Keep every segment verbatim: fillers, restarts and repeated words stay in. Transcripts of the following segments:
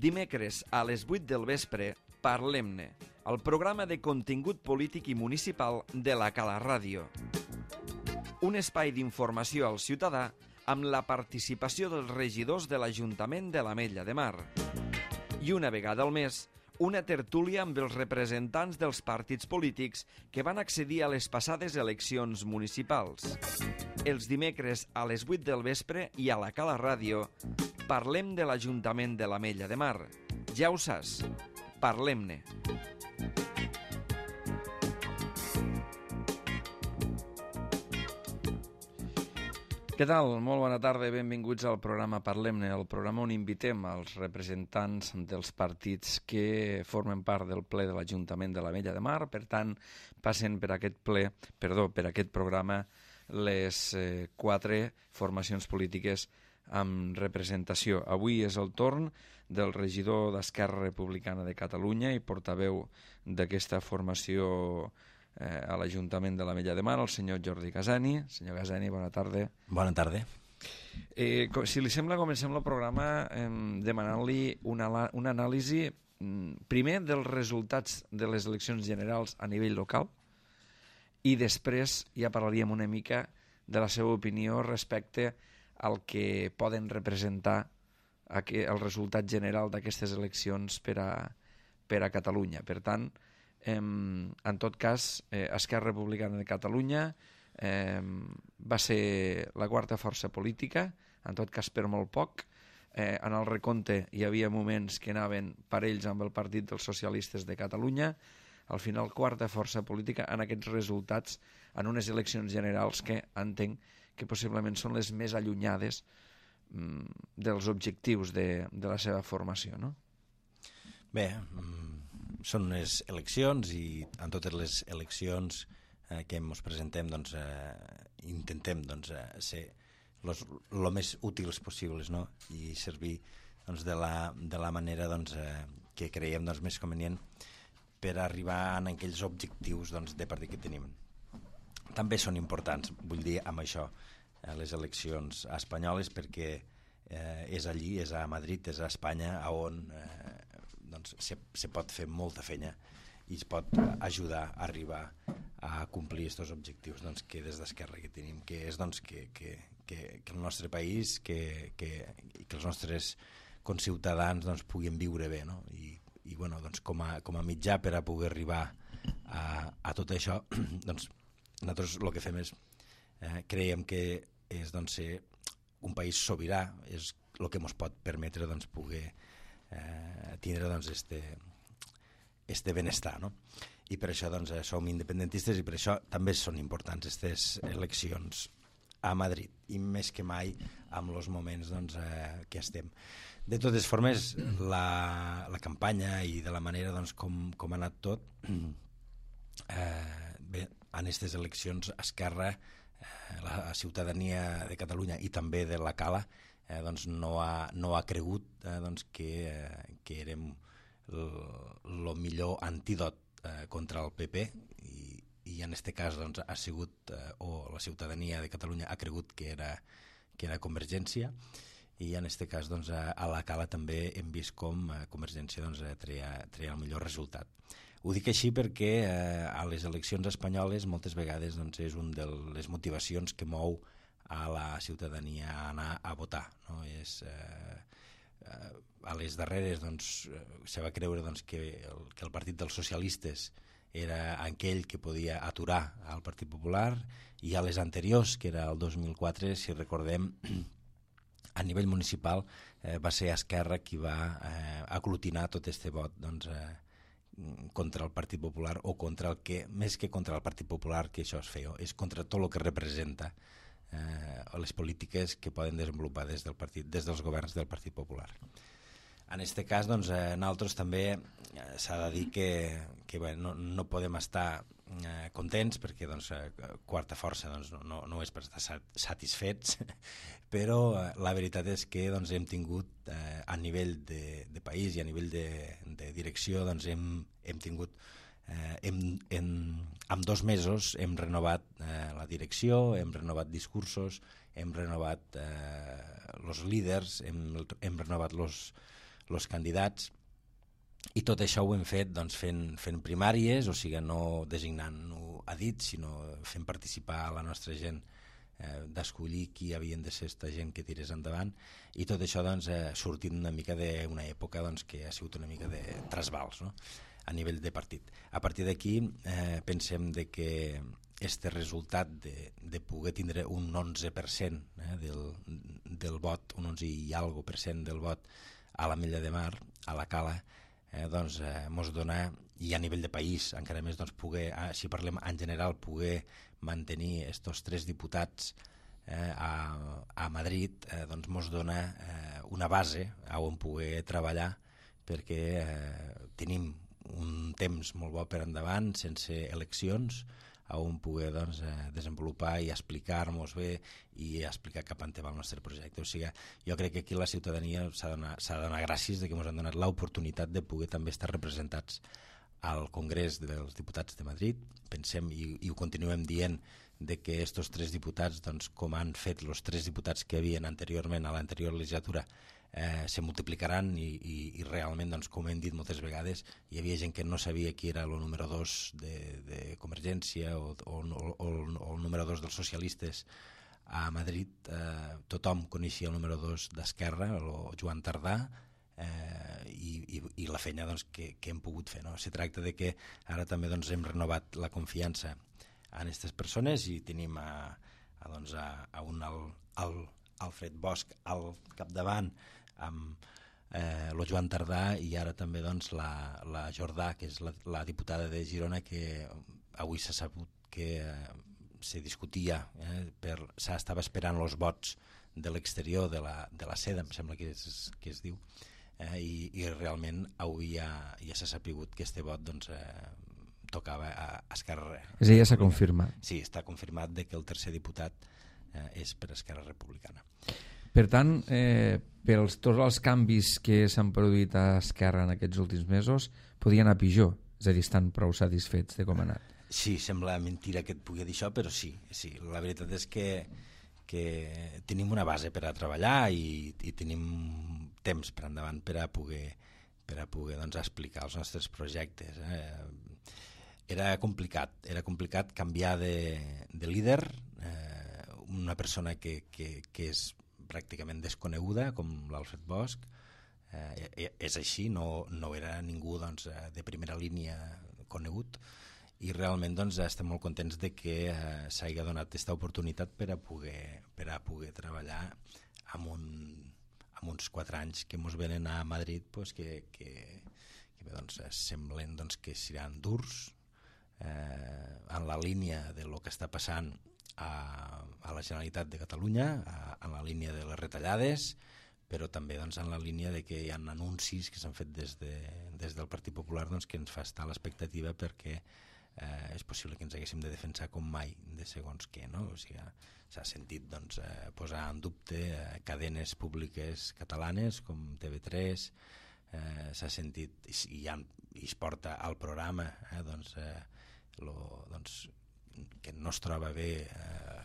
Dimecres a les vuit del vespre, Parlem-ne, el programa de contingut polític i municipal de la Cala Ràdio. Un espai d'informació al ciutadà amb la participació dels regidors de l'Ajuntament de l'Ametlla de Mar. I una vegada al mes, una tertúlia amb els representants dels partits polítics que van accedir a les passades eleccions municipals. Els dimecres a les vuit del vespre i a la Cala Ràdio parlem de l'Ajuntament de l'Ametlla de Mar. Ja ho saps, parlem-ne. Què tal? Molt bona tarda i benvinguts al programa Parlem-ne, el programa on invitem els representants dels partits que formen part del ple de l'Ajuntament de l'Ametlla de Mar. Per tant, passen per aquest ple, perdó, per aquest programa les eh, quatre formacions polítiques amb representació. Avui és el torn del regidor d'Esquerra Republicana de Catalunya i portaveu d'aquesta formació eh, a l'Ajuntament de l'Ametlla de Mar, el senyor Jordi Casani. Senyor Casani, bona tarda. Bona tarda. Eh, si li sembla, comencem el programa eh, demanant-li una, una anàlisi primer dels resultats de les eleccions generals a nivell local i després ja parlaríem una mica de la seva opinió respecte el que poden representar el resultat general d'aquestes eleccions per a, per a Catalunya. Per tant, eh, en tot cas, eh, Esquerra Republicana de Catalunya eh, va ser la quarta força política, en tot cas per molt poc. Eh, en el recompte hi havia moments que anaven parells amb el Partit dels Socialistes de Catalunya. Al final, quarta força política en aquests resultats en unes eleccions generals que entenc que possiblement són les més allunyades mm, dels objectius de, de la seva formació, no? Bé, mm, són unes eleccions i en totes les eleccions eh, que ens presentem doncs, eh, intentem doncs, eh, ser el més útils possibles, no? I servir doncs, de, la, de la manera doncs, eh, que creiem doncs, més convenient per arribar a aquells objectius doncs, de partit que tenim. També són importants, vull dir, amb això, eh, les eleccions espanyoles, perquè eh, és allí, és a Madrid, és a Espanya, on eh, doncs, se, se pot fer molta feina i es pot ajudar a arribar a complir aquests objectius doncs, que des d'Esquerra que tenim, que és doncs, que, que, que, que el nostre país, que, que, que els nostres conciutadans doncs, puguin viure bé, no? I i bueno, doncs com, a, com a mitjà per a poder arribar a, a tot això, doncs nosaltres el que fem és eh, creiem que és doncs, ser un país sobirà, és el que ens pot permetre doncs, poder eh, tindre doncs, este, este benestar, no? I per això doncs, som independentistes i per això també són importants aquestes eleccions a Madrid i més que mai amb els moments doncs, eh, que estem. De totes formes, la, la campanya i de la manera doncs, com, com ha anat tot, eh, bé, en aquestes eleccions Esquerra, eh, la ciutadania de Catalunya i també de la Cala eh, doncs, no, ha, no ha cregut eh, doncs, que, eh, que érem el millor antídot eh, contra el P P i i en aquest cas doncs, ha sigut, eh, o la ciutadania de Catalunya ha cregut que era, que era Convergència i en aquest cas doncs, a, a la Cala també hem vist com eh, Convergència doncs, treia, treia el millor resultat. Ho dic així perquè eh, a les eleccions espanyoles moltes vegades doncs, és una de les motivacions que mou a la ciutadania a anar a votar, no? És, eh, eh, a les darreres doncs, se va creure doncs, que, el, que el Partit dels Socialistes era aquell que podia aturar al Partit Popular i a les anteriors, que era el dos mil quatre, si recordem, a nivell municipal eh, va ser Esquerra qui va eh, aglutinar tot este vot doncs, eh, contra el Partit Popular o contra el que, més que contra el Partit Popular, que això es feia, és contra tot el que representa eh, les polítiques que poden desenvolupar des, del partit, des dels governs del Partit Popular. En aquest cas, doncs, eh, nosaltres també eh, s'ha de dir que, que bé, no, no podem estar eh, contents perquè doncs, eh, quarta força doncs, no, no és per estar satisfets, però eh, la veritat és que doncs, hem tingut eh, a nivell de, de país i a nivell de, de direcció doncs, hem, hem tingut eh, hem, hem, en dos mesos hem renovat eh, la direcció, hem renovat discursos, hem renovat els eh, líders, hem, hem renovat els els candidats, i tot això ho hem fet doncs, fent, fent primàries, o sigui, no designant-ho a dit, sinó fent participar a la nostra gent, eh, d'escollir qui havien de ser esta gent que tirés endavant, i tot això doncs, eh, sortint una mica d'una època doncs, que ha sigut una mica de trasbals, no?, a nivell de partit. A partir d'aquí eh, pensem de que este resultat de, de poder tindre un onze per cent eh, del, del vot, un onze i algo per cent del vot a l'Ametlla de Mar, a la Cala, eh, doncs eh, mos dona, i a nivell de país encara més, doncs poder, eh, si parlem en general, poder mantenir estos tres diputats eh, a, a Madrid, eh, doncs mos dona eh, una base on poder treballar, perquè eh, tenim un temps molt bo per endavant, sense eleccions, on poder doncs, eh, desenvolupar i explicar-nos bé i explicar cap on va el nostre projecte. O sigui, jo crec que aquí la ciutadania s'ha de donar, s'ha de donar gràcies de que ens han donat l'oportunitat de poder també estar representats al Congrés dels Diputats de Madrid. Pensem, i, i ho continuem dient, de que estos tres diputats, doncs, com han fet els tres diputats que havien anteriorment a l'anterior legislatura, eh, se multiplicaran i, i, i realment, doncs, com hem dit moltes vegades, hi havia gent que no sabia qui era el número dos de, de Convergència o, o, o, o el número dos dels socialistes a Madrid. Eh, tothom coneixia el número dos d'Esquerra, el Joan Tardà, eh, i, i, i la feina doncs, que, que hem pogut fer, no? Se tracta de que ara també doncs, hem renovat la confiança en aquestes persones i tenim a, a, doncs, a, a un al, al Alfred Bosch al capdavant, amb eh, el Joan Tardà, i ara també doncs, la, la Jordà, que és la, la diputada de Girona, que avui s'ha sabut que eh, se discutia, eh, per, s'estava esperant els vots de l'exterior de la, de la seda, em sembla que es, que es diu, eh, i, i realment avui ja, ja s'ha sapigut que este vot doncs, eh, tocava a Esquerra. És a dir, ja s'ha confirmat. Sí, està confirmat de que el tercer diputat eh, és per Esquerra Republicana. Per tant, eh, per els, tots els canvis que s'han produït a Esquerra en aquests últims mesos, podien anar pitjor, és a dir, estan prou satisfets de com ha anat. Sí, sembla mentira que et pugui dir això, però sí, sí. La veritat és que, que tenim una base per a treballar i, i tenim temps per endavant per a poder, per a poder doncs, explicar els nostres projectes. Eh? Era complicat, era complicat canviar de, de líder, eh, una persona que, que, que és pràcticament desconeguda, com l'Alfred Bosch, eh, és així, no, no era ningú doncs, de primera línia conegut, i realment doncs, estem molt contents de que eh, s'hagi donat aquesta oportunitat per a poder, per a poder treballar amb, un, amb uns quatre anys que ens venen a Madrid, pues, que, que, que doncs, semblen doncs, que seran durs, eh, en la línia de lo que està passant a, a la Generalitat de Catalunya, a, en la línia de les retallades, però també doncs, en la línia de que hi ha anuncis que s'han fet des, de, des del Partit Popular doncs, que ens fa estar a l'expectativa perquè eh, és possible que ens haguéssim de defensar com mai de segons què, no? O sigui, s'ha sentit doncs, eh, posar en dubte eh, cadenes públiques catalanes com T V tres, eh, s'ha sentit, i, i, ja, i es porta al programa eh, doncs, eh, lo, doncs, que no es troba bé eh,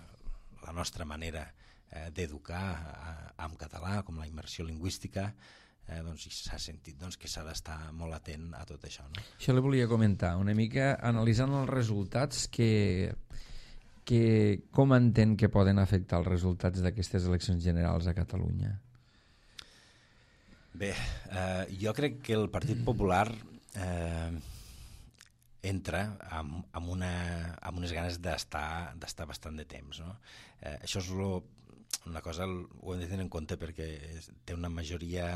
la nostra manera eh, d'educar eh, en català, com la immersió lingüística, eh, doncs s'ha sentit doncs, que s'ha d'estar molt atent a tot això. No? Això li volia comentar, una mica analitzant els resultats, que, que com entén que poden afectar els resultats d'aquestes eleccions generals a Catalunya? Bé, eh, jo crec que el Partit Popular eh, entra amb, amb, una, amb unes ganes d'estar d'estar bastant de temps. No? Eh, això és lo, una cosa, ho hem de tenir en compte perquè té una majoria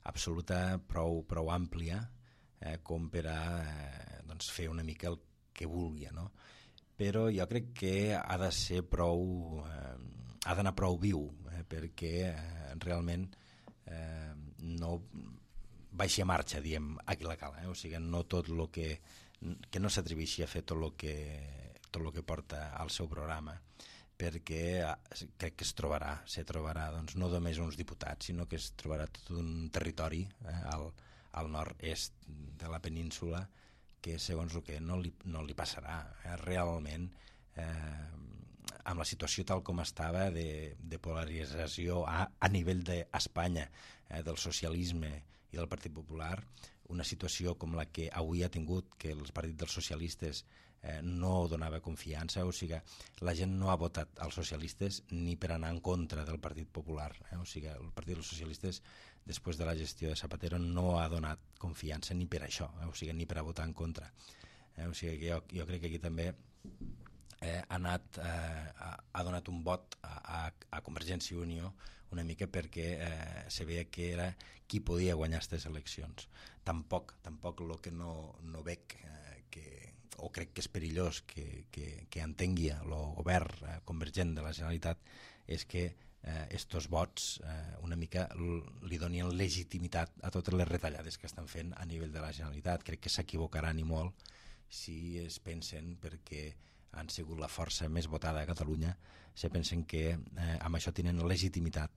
absoluta prou, prou àmplia eh, com per a eh, doncs fer una mica el que vulgui. No? Però jo crec que ha de ser prou, eh, ha d'anar prou viu eh, perquè eh, realment eh, no baixi a marxa, diem, aquí la Cala. Eh? O sigui, no tot el que que no s'atreveixi a fer tot el que, tot el que porta al seu programa, perquè crec que es trobarà, se trobarà doncs, no només uns diputats, sinó que es trobarà tot un territori eh, al, al nord-est de la península que segons el que no li, no li passarà. Eh, realment, eh, amb la situació tal com estava de, de polarització a, a nivell d'Espanya, eh, del socialisme i del Partit Popular, una situació com la que avui ha tingut, que el Partit dels Socialistes eh, no donava confiança, o sigui, la gent no ha votat als socialistes ni per anar en contra del Partit Popular, eh? O sigui, el Partit dels Socialistes, després de la gestió de Zapatero, no ha donat confiança ni per això, eh? O sigui, ni per a votar en contra. Eh? O sigui, jo, jo crec que aquí també eh, ha, anat, eh, ha, ha donat un vot a, a, a Convergència i Unió una mica perquè eh, se veia que era qui podia guanyar aquestes eleccions. Tampoc, tampoc el que no, no veig, eh, que, o crec que és perillós que, que, que entengui el govern eh, convergent de la Generalitat, és que eh, estos vots eh, una mica li donien legitimitat a totes les retallades que estan fent a nivell de la Generalitat. Crec que s'equivocaran i molt si es pensen, perquè han sigut la força més votada a Catalunya, se pensen que eh, amb això tenen legitimitat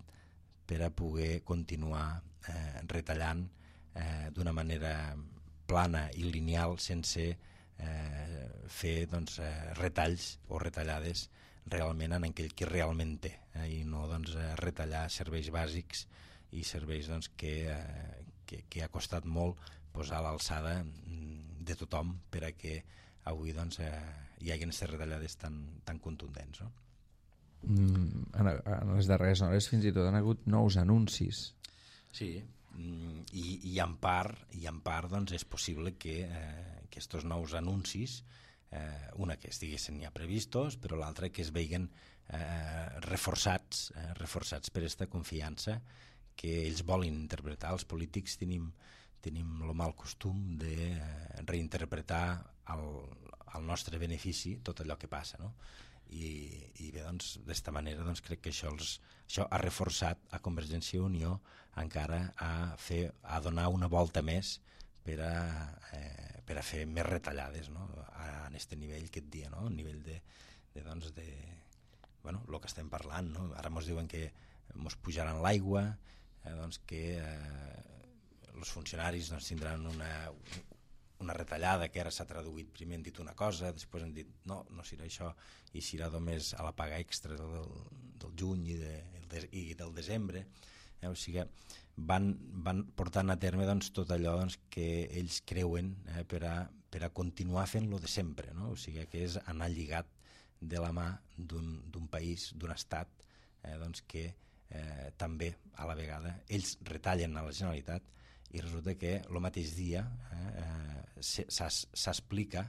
per a poder continuar eh, retallant eh, d'una manera plana i lineal sense eh, fer doncs, eh, retalls o retallades realment en aquell que realment té, eh, i no doncs, eh, retallar serveis bàsics i serveis doncs, que, eh, que, que ha costat molt posar a l'alçada de tothom per a que avui doncs, eh, hi hagi aquestes retallades tan, tan contundents, no? Mm, en, en les darreres hores fins i tot han hagut nous anuncis. Sí, i, i en part, i en part doncs, és possible que eh, aquests nous anuncis, eh, una que estiguessin ja previstos, però l'altra que es veien eh, reforçats, eh, reforçats per aquesta confiança que ells volen interpretar. Els polítics tenim, tenim el mal costum de eh, reinterpretar al, al nostre benefici tot allò que passa, no? I, i bé, doncs, d'esta manera doncs, crec que això, els, això ha reforçat a Convergència i Unió encara a, fer, a donar una volta més per a, eh, per a fer més retallades, no? A, en aquest nivell que et dia, no? A nivell de, de, doncs, de bueno, el que estem parlant, no? Ara ens diuen que ens pujaran l'aigua, eh, doncs que eh, els funcionaris doncs, tindran una una retallada que ara s'ha traduït, primer han dit una cosa, després han dit no, no serà això, i serà només a la paga extra del, del juny i, de, i del desembre, eh? O sigui, van, van portant a terme doncs, tot allò doncs, que ells creuen eh, per, a, per a continuar fent-lo de sempre, no? O sigui, que és anar lligat de la mà d'un país, d'un estat, eh, doncs, que eh, també a la vegada ells retallen a la Generalitat i resulta que el mateix dia eh, s'explica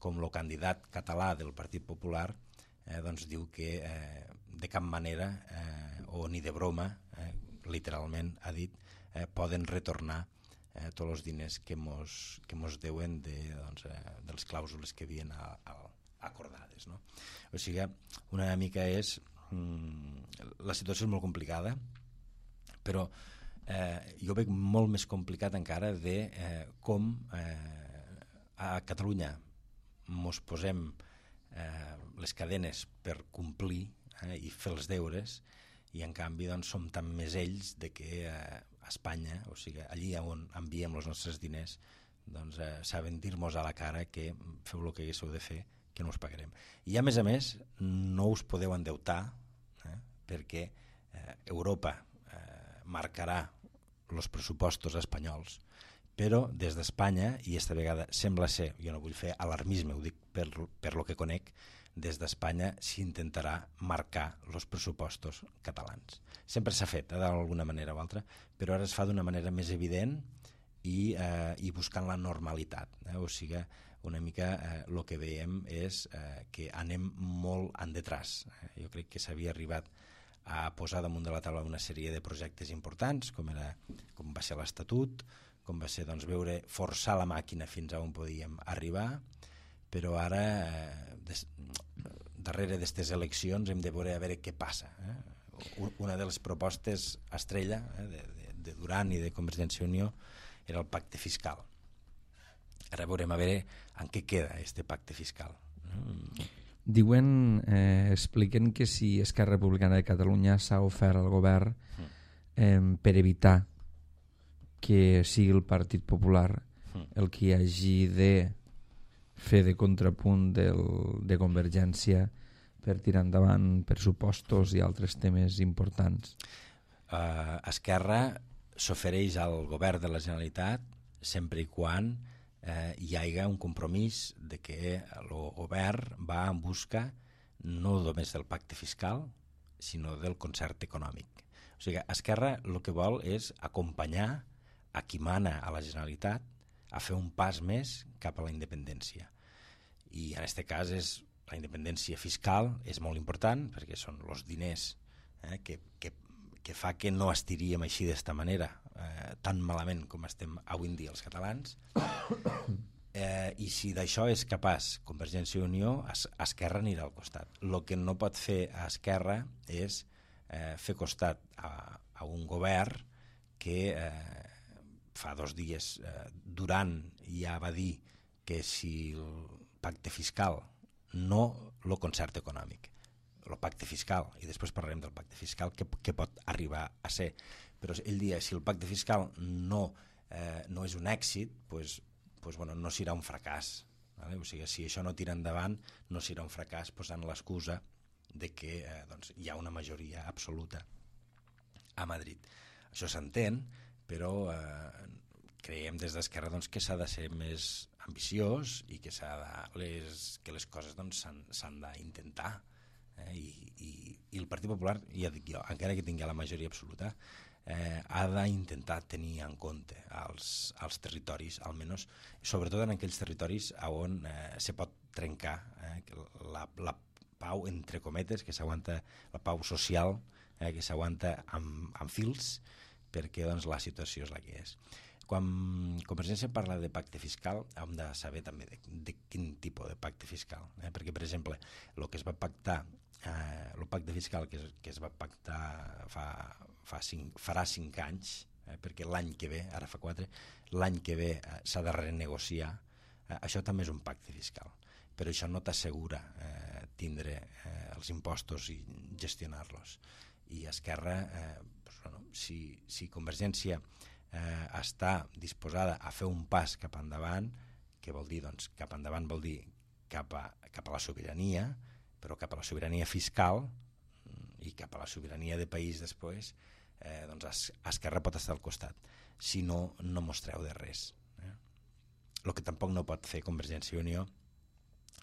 com el candidat català del Partit Popular eh, doncs diu que eh, de cap manera eh, o ni de broma, eh, literalment ha dit, eh, poden retornar eh, tots els diners que mos, que mos deuen de, doncs, eh, dels clàusules que havien a, a, acordades, no? O sigui, una mica és... Mm, la situació és molt complicada, però Eh, jo veig molt més complicat encara de eh, com eh, a Catalunya mos posem eh, les cadenes per complir eh, i fer els deures, i en canvi doncs, som tan més ells de que eh, a Espanya, o sigui, allí on enviem els nostres diners, doncs eh, saben dir-nos a la cara que feu el que haguéssiu de fer, que no us pagarem. I a més a més no us podeu endeutar eh, perquè eh, Europa eh, marcarà els pressupostos espanyols, però des d'Espanya, i esta vegada sembla ser, jo no vull fer alarmisme, ho dic per, per lo que conec, des d'Espanya s'intentarà marcar els pressupostos catalans. Sempre s'ha fet, eh, d'alguna manera o altra, però ara es fa d'una manera més evident i, eh, i buscant la normalitat. Eh? O sigui, una mica el eh, que veiem és eh, que anem molt en detràs. Eh? Jo crec que s'havia arribat a posar damunt de la taula una sèrie de projectes importants, com, era, com va ser l'Estatut, com va ser doncs, veure forçar la màquina fins a on podíem arribar, però ara, eh, des, darrere d'aquestes eleccions, hem de veure a veure què passa. Eh? Una de les propostes estrella eh, de, de, de Duran i de Convergència i Unió era el pacte fiscal. Ara veurem a veure en què queda aquest pacte fiscal. Mm. Diuen, eh, expliquen que si Esquerra Republicana de Catalunya s'ha ofert al govern eh, per evitar que sigui el Partit Popular el que hagi de fer de contrapunt del, de Convergència per tirar endavant pressupostos i altres temes importants. Uh, Esquerra s'ofereix al govern de la Generalitat sempre i quan eh, hi hagi un compromís de que el govern va en busca no només del pacte fiscal, sinó del concert econòmic. O sigui, Esquerra el que vol és acompanyar a qui mana a la Generalitat a fer un pas més cap a la independència. I en aquest cas és la independència fiscal és molt important perquè són els diners eh, que, que, que fa que no estiríem així d'esta manera eh, tan malament com estem avui en dia els catalans. Eh, I si d'això és capaç Convergència i Unió, es, Esquerra anirà al costat. El que no pot fer a Esquerra és eh, fer costat a, a un govern que eh, fa dos dies eh, Duran ja va dir que si el pacte fiscal, no el concert econòmic, el pacte fiscal, i després parlarem del pacte fiscal, que, que pot arribar a ser. Però ell dia, si el pacte fiscal no, eh, no és un èxit, pues, pues, bueno, no serà un fracàs. Vale? O sigui, si això no tira endavant, no serà un fracàs posant l'excusa de que eh, doncs, hi ha una majoria absoluta a Madrid. Això s'entén, però eh, creiem des d'Esquerra doncs, que s'ha de ser més ambiciós i que, s'ha de, les, que les coses doncs, s'han d'intentar. Eh? I, i, I el Partit Popular, ja dic jo, encara que tingui la majoria absoluta, eh, ha d'intentar tenir en compte els, els territoris, almenys, sobretot en aquells territoris on eh, se pot trencar eh, la, la pau, entre cometes, que s'aguanta, la pau social, eh, que s'aguanta amb, amb fils, perquè doncs, la situació és la que és. Quan Convergència parla de pacte fiscal, hem de saber també de, de quin tipus de pacte fiscal. Eh? Perquè, per exemple, el que es va pactar, eh, el pacte fiscal que es, que es va pactar fa, fa cinc, farà cinc anys, eh? perquè l'any que ve, ara fa quatre, l'any que ve eh, s'ha de renegociar, eh, això també és un pacte fiscal. Però això no t'assegura eh, tindre eh, els impostos i gestionar-los. I Esquerra, eh, doncs, bueno, si, si Convergència Eh, està disposada a fer un pas cap endavant, que vol dir, doncs, cap endavant vol dir cap a, cap a la sobirania, però cap a la sobirania fiscal i cap a la sobirania de país després, eh, doncs Esquerra pot estar al costat. Si no, no mostreu de res. Eh? El que tampoc no pot fer Convergència i Unió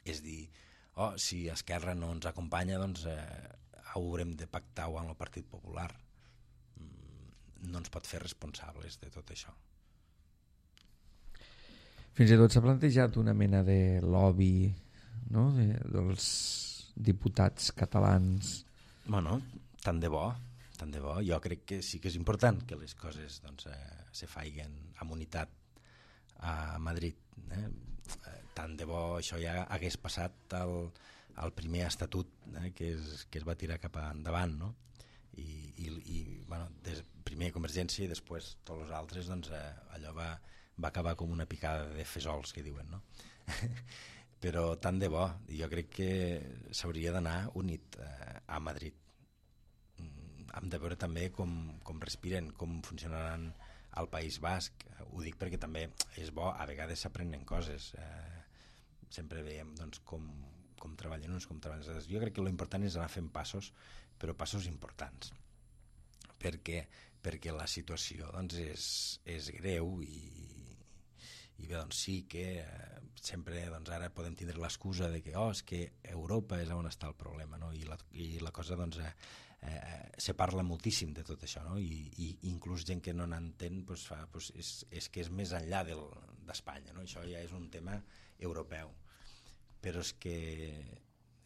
és dir, oh, si Esquerra no ens acompanya, doncs eh, haurem de pactar-ho amb el Partit Popular. No ens pot fer responsables de tot això. Fins i tot s'ha plantejat una mena de lobby, no? de, dels diputats catalans. Bueno, tant de bo, tant de bo. Jo crec que sí que és important que les coses doncs, eh, se faiguen amb unitat a Madrid. Eh? Tant de bo això ja hagués passat al, al primer estatut eh, que, es, que es va tirar cap endavant, no? i, i, i bueno, des, primer Convergència i després tots els altres, doncs eh, allò va, va acabar com una picada de fesols, que diuen, no? Però tant de bo, jo crec que s'hauria d'anar unit eh, a Madrid. Mm, hem de veure també com, com respiren, com funcionaran al País Basc. Ho dic perquè també és bo, a vegades s'aprenen coses. Eh, sempre veiem doncs, com, com treballen uns, com treballen els altres. Jo crec que l'important és anar fent passos, però passos importants, perquè, perquè la situació doncs, és, és greu i, i bé, doncs sí que eh, sempre doncs, ara podem tindre l'excusa de que, oh, és que Europa és on està el problema, no? I, la, i la cosa doncs, eh, eh, se parla moltíssim de tot això, no? I, i inclús gent que no n'entén doncs, fa, doncs, és, és que és més enllà d'Espanya, no? Això ja és un tema europeu, però és que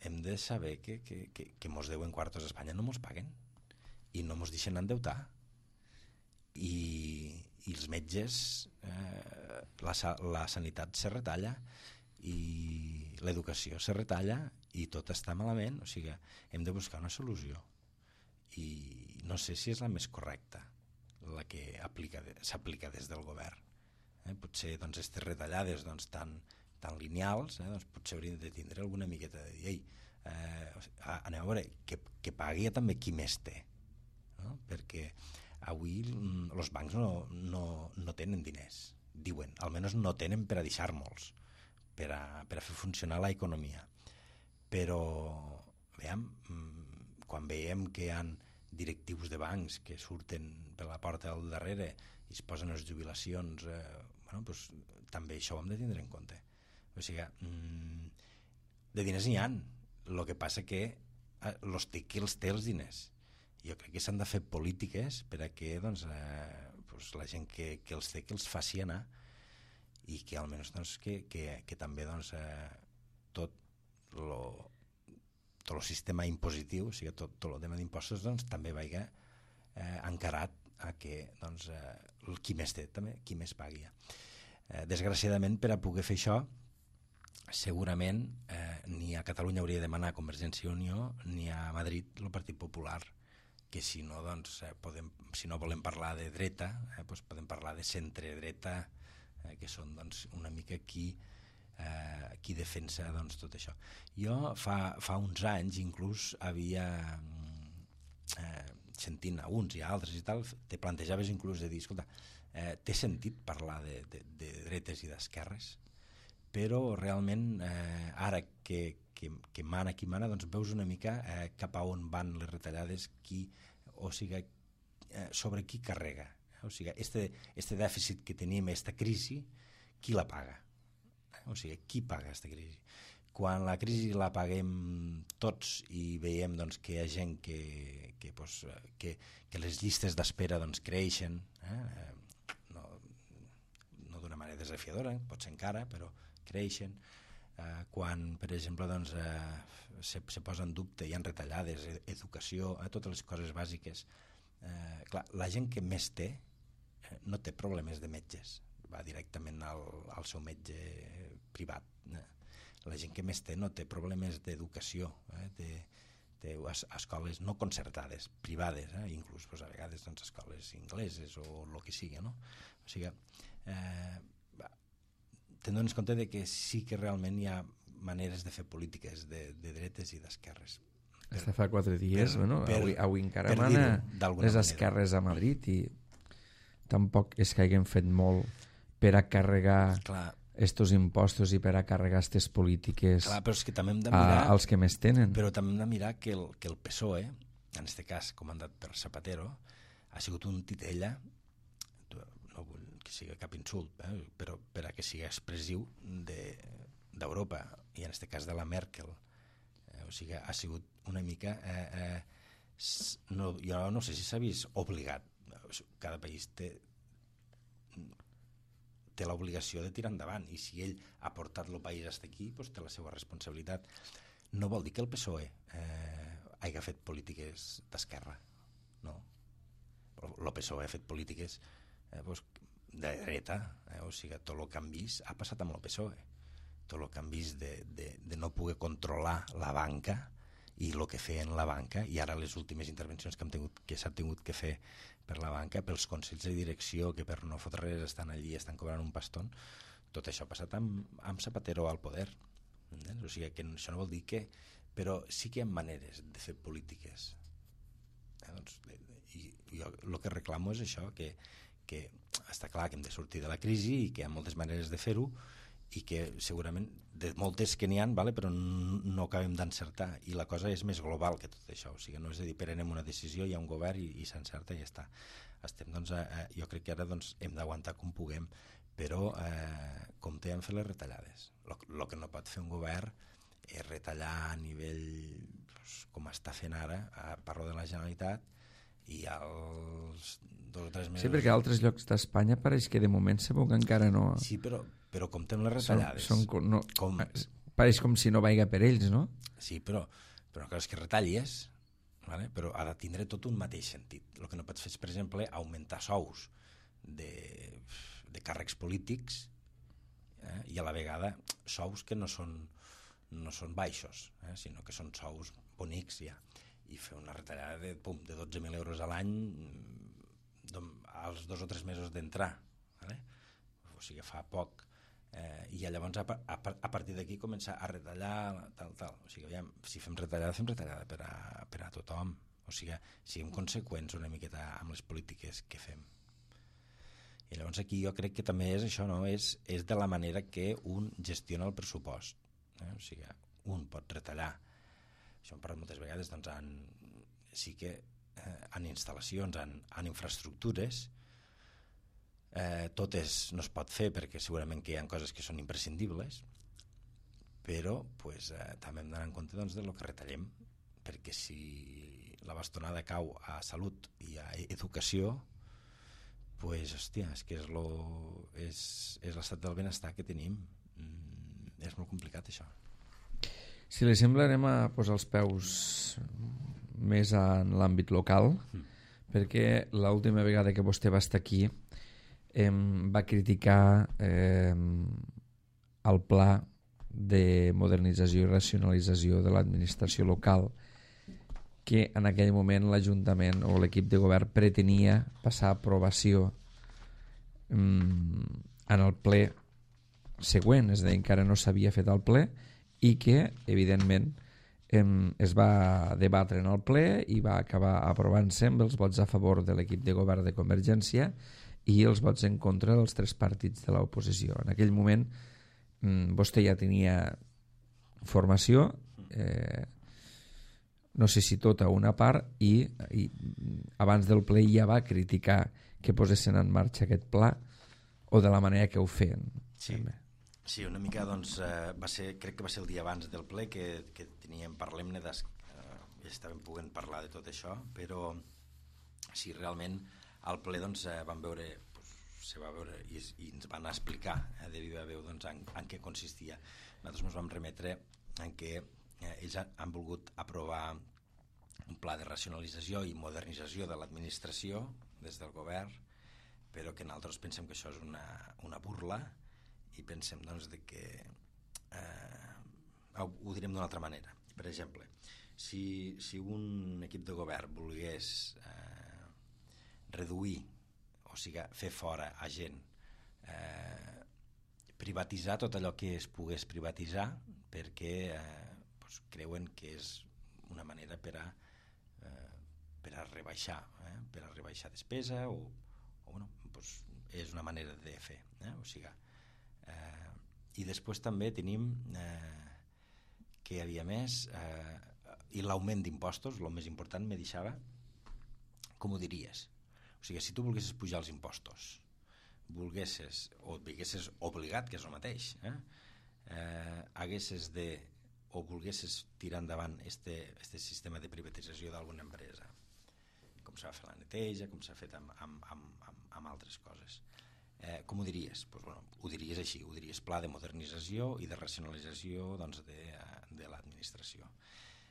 hem de saber que, que, que, que mos deuen quartos a Espanya, no mos paguen i no mos deixen endeutar i, i els metges eh, la, la sanitat se retalla i l'educació se retalla i tot està malament, o sigui hem de buscar una solució i no sé si és la més correcta la que s'aplica des del govern, eh? Potser doncs, aquestes retallades doncs, tan tan lineals, eh, doncs potser hauríem de tindre alguna miqueta de dir, ei, eh, anem a veure, que, que pagui també qui més té, no? Perquè avui els bancs no, no, no tenen diners, diuen, almenys no tenen per a deixar-nos, per a, per a fer funcionar l'economia. Però, veiem, quan veiem que hi ha directius de bancs que surten per la porta del darrere i es posen les jubilacions, eh, bueno, doncs, també això ho hem de tindre en compte. O sigui, mm, de diners n'hi ha, el que passa que eh, los té qui els té els diners. Jo crec que s'han de fer polítiques per a que doncs, eh, doncs la gent que, que els té que els faci anar i que almenys doncs, que, que, que també doncs, eh, tot lo, tot el sistema impositiu, o sigui, tot, tot el tema d'impostos doncs, també vaiga eh, encarat a que doncs, eh, qui més té també, qui més pagui. Eh, desgraciadament, per a poder fer això, segurament eh, ni a Catalunya hauria de demanar Convergència i Unió ni a Madrid el Partit Popular, que si no, doncs, eh, podem, si no volem parlar de dreta, eh, doncs podem parlar de centre-dreta, eh, que són doncs, una mica qui, eh, qui defensa doncs, tot això. Jo fa, fa uns anys inclús havia, eh, sentint a uns i a altres i tal, te plantejaves inclús de dir, escolta, eh, té sentit parlar de, de, de dretes i d'esquerres, però realment eh, ara que, que, que mana qui mana, doncs veus una mica eh, cap a on van les retallades, qui, o sigui, eh, sobre qui carrega. O sigui, este, este dèficit que tenim, esta crisi, qui la paga? O sigui, qui paga aquesta crisi? Quan la crisi la paguem tots i veiem doncs, que hi ha gent que, que, doncs, que, que les llistes d'espera doncs, creixen, eh? no, no d'una manera desafiadora, pot ser encara, però creixen, eh, quan per exemple doncs, eh, se, se posa en dubte, hi ha retallades, educació, eh, totes les coses bàsiques, eh, clar, la gent que més té eh, no té problemes de metges, va directament al, al seu metge privat, eh. La gent que més té no té problemes d'educació, eh, té, té escoles no concertades, privades, eh, inclús pues, a vegades doncs, escoles ingleses o el que sigui, no? O sigui, eh, tenint en compte de que sí que realment hi ha maneres de fer polítiques de, de dretes i d'esquerres. Hasta fa quatre dies, per, bueno, per, avui, avui encara mana les esquerres a Madrid i tampoc és que haguem fet molt per a carregar clar, estos impostos i per a carregar aquestes polítiques clar, però és que també hem de mirar, a, als que més tenen. Però també hem de mirar que el, que el P S O E, en aquest cas comandat per Zapatero, ha sigut un titella, no vull que sigui cap insult, eh, però per a que sigui expressiu d'Europa, de, i en aquest cas de la Merkel. Eh, o sigui, ha sigut una mica... Eh, eh, no, jo no sé si s'ha vist obligat. Cada país té té l'obligació de tirar endavant, i si ell ha portat el país fins aquí, doncs té la seva responsabilitat. No vol dir que el P S O E eh, hagi fet polítiques d'esquerra, no. El P S O E ha fet polítiques eh, doncs, de dreta, eh, o sigui, tot el que han vist ha passat amb el P S O E, tot el que han vist de, de, de no poder controlar la banca i el que feien la banca, i ara les últimes intervencions que, hem tingut, que s'han tingut que fer per la banca, pels consells de direcció que per no fotre res estan allí, estan cobrant un paston, tot això ha passat amb, amb Zapatero al poder. Entens? O sigui, que això no vol dir que... Però sí que hi ha maneres de fer polítiques. Eh, doncs, i jo el que reclamo és això, que, que està clar que hem de sortir de la crisi i que hi ha moltes maneres de fer-ho, i que segurament de moltes que n'hi ha, vale, però no acabem d'encertar, i la cosa és més global que tot això, o sigui, no és a dir, prenem una decisió, hi ha un govern i, i s'encerta i ja està. Estem, doncs, eh, jo crec que ara doncs, hem d'aguantar com puguem, però eh, compte en fer les retallades. El que no pot fer un govern és retallar a nivell doncs, com està fent ara, a, parlo de la Generalitat, i als dos o tres mesos... Sí, perquè a altres llocs d'Espanya pareix que de moment se veu que encara no... Sí, però, però comptem les retallades. Són, són, no, com... Pareix com si no vaiga per ells, no? Sí, però, però una cosa és que retallis, vale? Però ha de tindre tot un mateix sentit. El que no pots fer és, per exemple, augmentar sous de, de càrrecs polítics eh? I a la vegada sous que no són, no són baixos, eh? Sinó que són sous bonics ja. I fer una retallada de, pum, de dotze mil euros a l'any als dos o tres mesos d'entrar, vale? O sigui, fa poc, eh, i llavors a, a, a partir d'aquí començar a retallar tal, tal, o sigui, aviam, si fem retallada fem retallada per a, per a tothom, o sigui, siguem conseqüents una miqueta amb les polítiques que fem. I llavors aquí jo crec que també és això, no? És, és de la manera que un gestiona el pressupost, eh? O sigui, un pot retallar. Això hem parlat moltes vegades, doncs en, sí que eh, en instal·lacions, en, en infraestructures. Eh, totes no es pot fer perquè segurament que hi ha coses que són imprescindibles, però pues, eh, també hem d'anar en compte doncs, de lo que retallem, perquè si la bastonada cau a salut i a educació, pues, hòstia, és que és, lo, és, és l'estat del benestar que tenim. Mm, és molt complicat, això. Si li sembla, anem a posar els peus més en l'àmbit local, mm. perquè l'última vegada que vostè va estar aquí eh, va criticar eh, el pla de modernització i racionalització de l'administració local, que en aquell moment l'Ajuntament o l'equip de govern pretenia passar a aprovació um, en el ple següent, és a dir, encara no s'havia fet el ple, i que, evidentment, um, es va debatre en el ple i va acabar aprovant-se amb els vots a favor de l'equip de govern de Convergència i els vots en contra dels tres partits de l'oposició. En aquell moment um, vostè ja tenia formació, eh, no sé si tota o una part, i, i abans del ple ja va criticar que posessin en marxa aquest pla o de la manera que ho feien. Sí, sí una mica doncs, eh, va ser, crec que va ser el dia abans del ple que, que teníem, parlem-ne, des, eh, estàvem podent parlar de tot això, però sí, realment al ple doncs, eh, vam veure, pues, se va veure i, i ens van explicar eh, de viva veu doncs, en, en què consistia. Nosaltres ens vam remetre en què eh, ells han, han volgut aprovar un pla de racionalització i modernització de l'administració des del govern, però que nosaltres pensem que això és una, una burla i pensem doncs, de que eh, ho, ho direm d'una altra manera. Per exemple, si, si un equip de govern volgués eh, reduir, o sigui, fer fora a gent, eh, privatitzar tot allò que es pogués privatitzar perquè eh, doncs, creuen que és una manera per a, eh, per a rebaixar, eh, per a rebaixar despesa o, o bueno, doncs és una manera de fer, eh, o sigui, eh, i després també tenim eh, que hi havia més eh, i l'augment d'impostos, el més important, me deixava, com ho diries? O sigui, si tu volguessis pujar els impostos, volguessis o et veiessis obligat, que és el mateix, eh, eh, haguessis de o volguessis tirar endavant este, este sistema de privatització d'alguna empresa, com s'ha fet la neteja, com s'ha fet amb, amb, amb, amb, amb altres coses. Eh, com ho diries? Pues, bueno, ho diries així, ho diries pla de modernització i de racionalització doncs, de, de l'administració.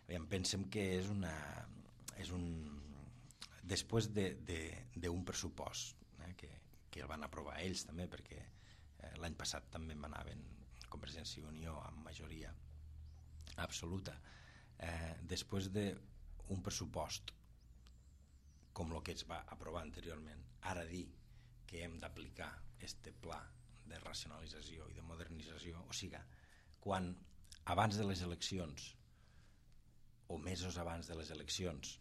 Aviam, pensem que és una... És un, després d'un de, de, de pressupost eh, que, que el van aprovar ells també, perquè eh, l'any passat també manaven Convergència i Unió amb majoria absoluta, eh, després d'un pressupost com el que es va aprovar anteriorment, ara dir que hem d'aplicar este pla de racionalització i de modernització, o sigui, quan abans de les eleccions o mesos abans de les eleccions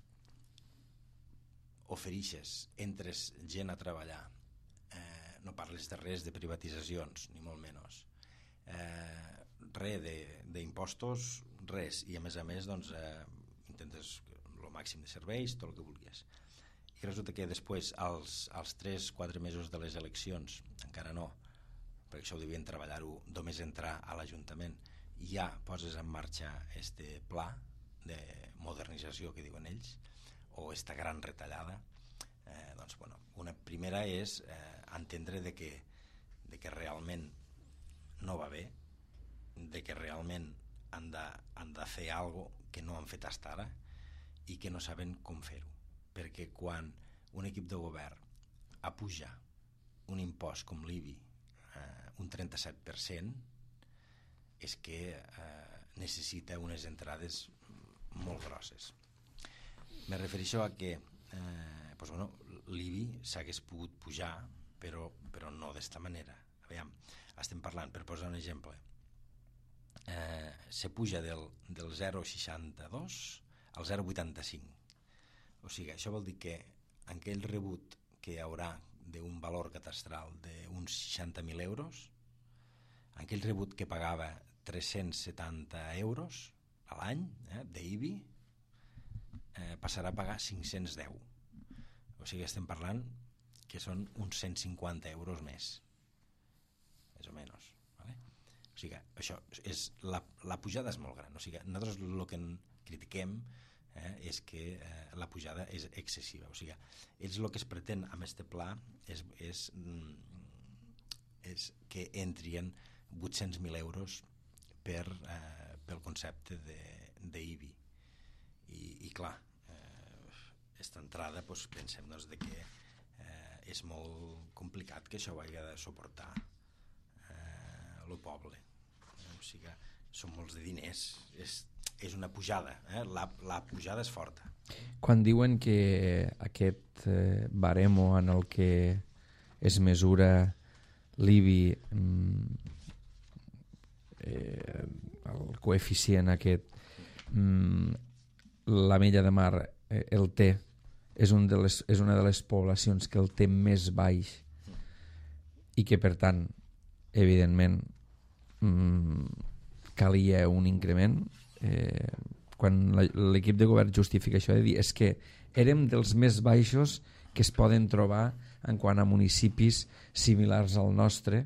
oferixes, entres gent a treballar, eh, no parles de res de privatitzacions, ni molt menys, eh, res d'impostos, res, i a més a més doncs, eh, intentes el màxim de serveis, tot el que vulguis. I resulta que després, als, als tres quatre mesos de les eleccions, encara no, perquè això ho devien treballar-ho només entrar a l'Ajuntament, ja poses en marxa este pla de modernització que diuen ells, o esta gran retallada. Eh, doncs, bueno, una primera és eh, entendre de que, de que realment no va bé, de que realment han de, han de fer alguna cosa que no han fet fins ara i que no saben com fer-ho, perquè quan un equip de govern apuja un impost com l'I B I eh, un trenta-set per cent és que eh, necessita unes entrades molt grosses. Me refereixo a que eh, pues bueno, l'I B I s'hagués pogut pujar, però, però no d'esta manera. Aviam, estem parlant, per posar un exemple, eh, se puja del, del zero coma seixanta-dos al zero coma vuitanta-cinc. O sigui, això vol dir que aquell rebut que hi haurà d'un valor catastral d'uns seixanta mil euros, aquell rebut que pagava tres-cents setanta euros a l'any eh, d'I B I, eh, passarà a pagar cinc-cents deu. O sigui, estem parlant que són uns cent cinquanta euros més, més o menys. Vale? O sigui, això és, la, la pujada és molt gran. O sigui, nosaltres el que critiquem eh, és que eh, la pujada és excessiva. O sigui, ells el que es pretén amb aquest pla és, és, és que entrien vuit-cents mil euros per, eh, pel concepte d'I B I. I, i clar, aquesta eh, entrada doncs, pensem doncs, de que eh, és molt complicat que això ho hagi de suportar eh, el poble. Eh, o sigui, són molts de diners, és, és una pujada, eh? la, la pujada és forta. Quan diuen que aquest eh, baremo en el que es mesura l'I B I, mm, eh, el coeficient aquest, mm, la Mella de Mar eh, el té, és, un de les, és una de les poblacions que el té més baix i que per tant evidentment mm, calia un increment. Eh, quan l'equip de govern justifica això de dir és que érem dels més baixos que es poden trobar en quant a municipis similars al nostre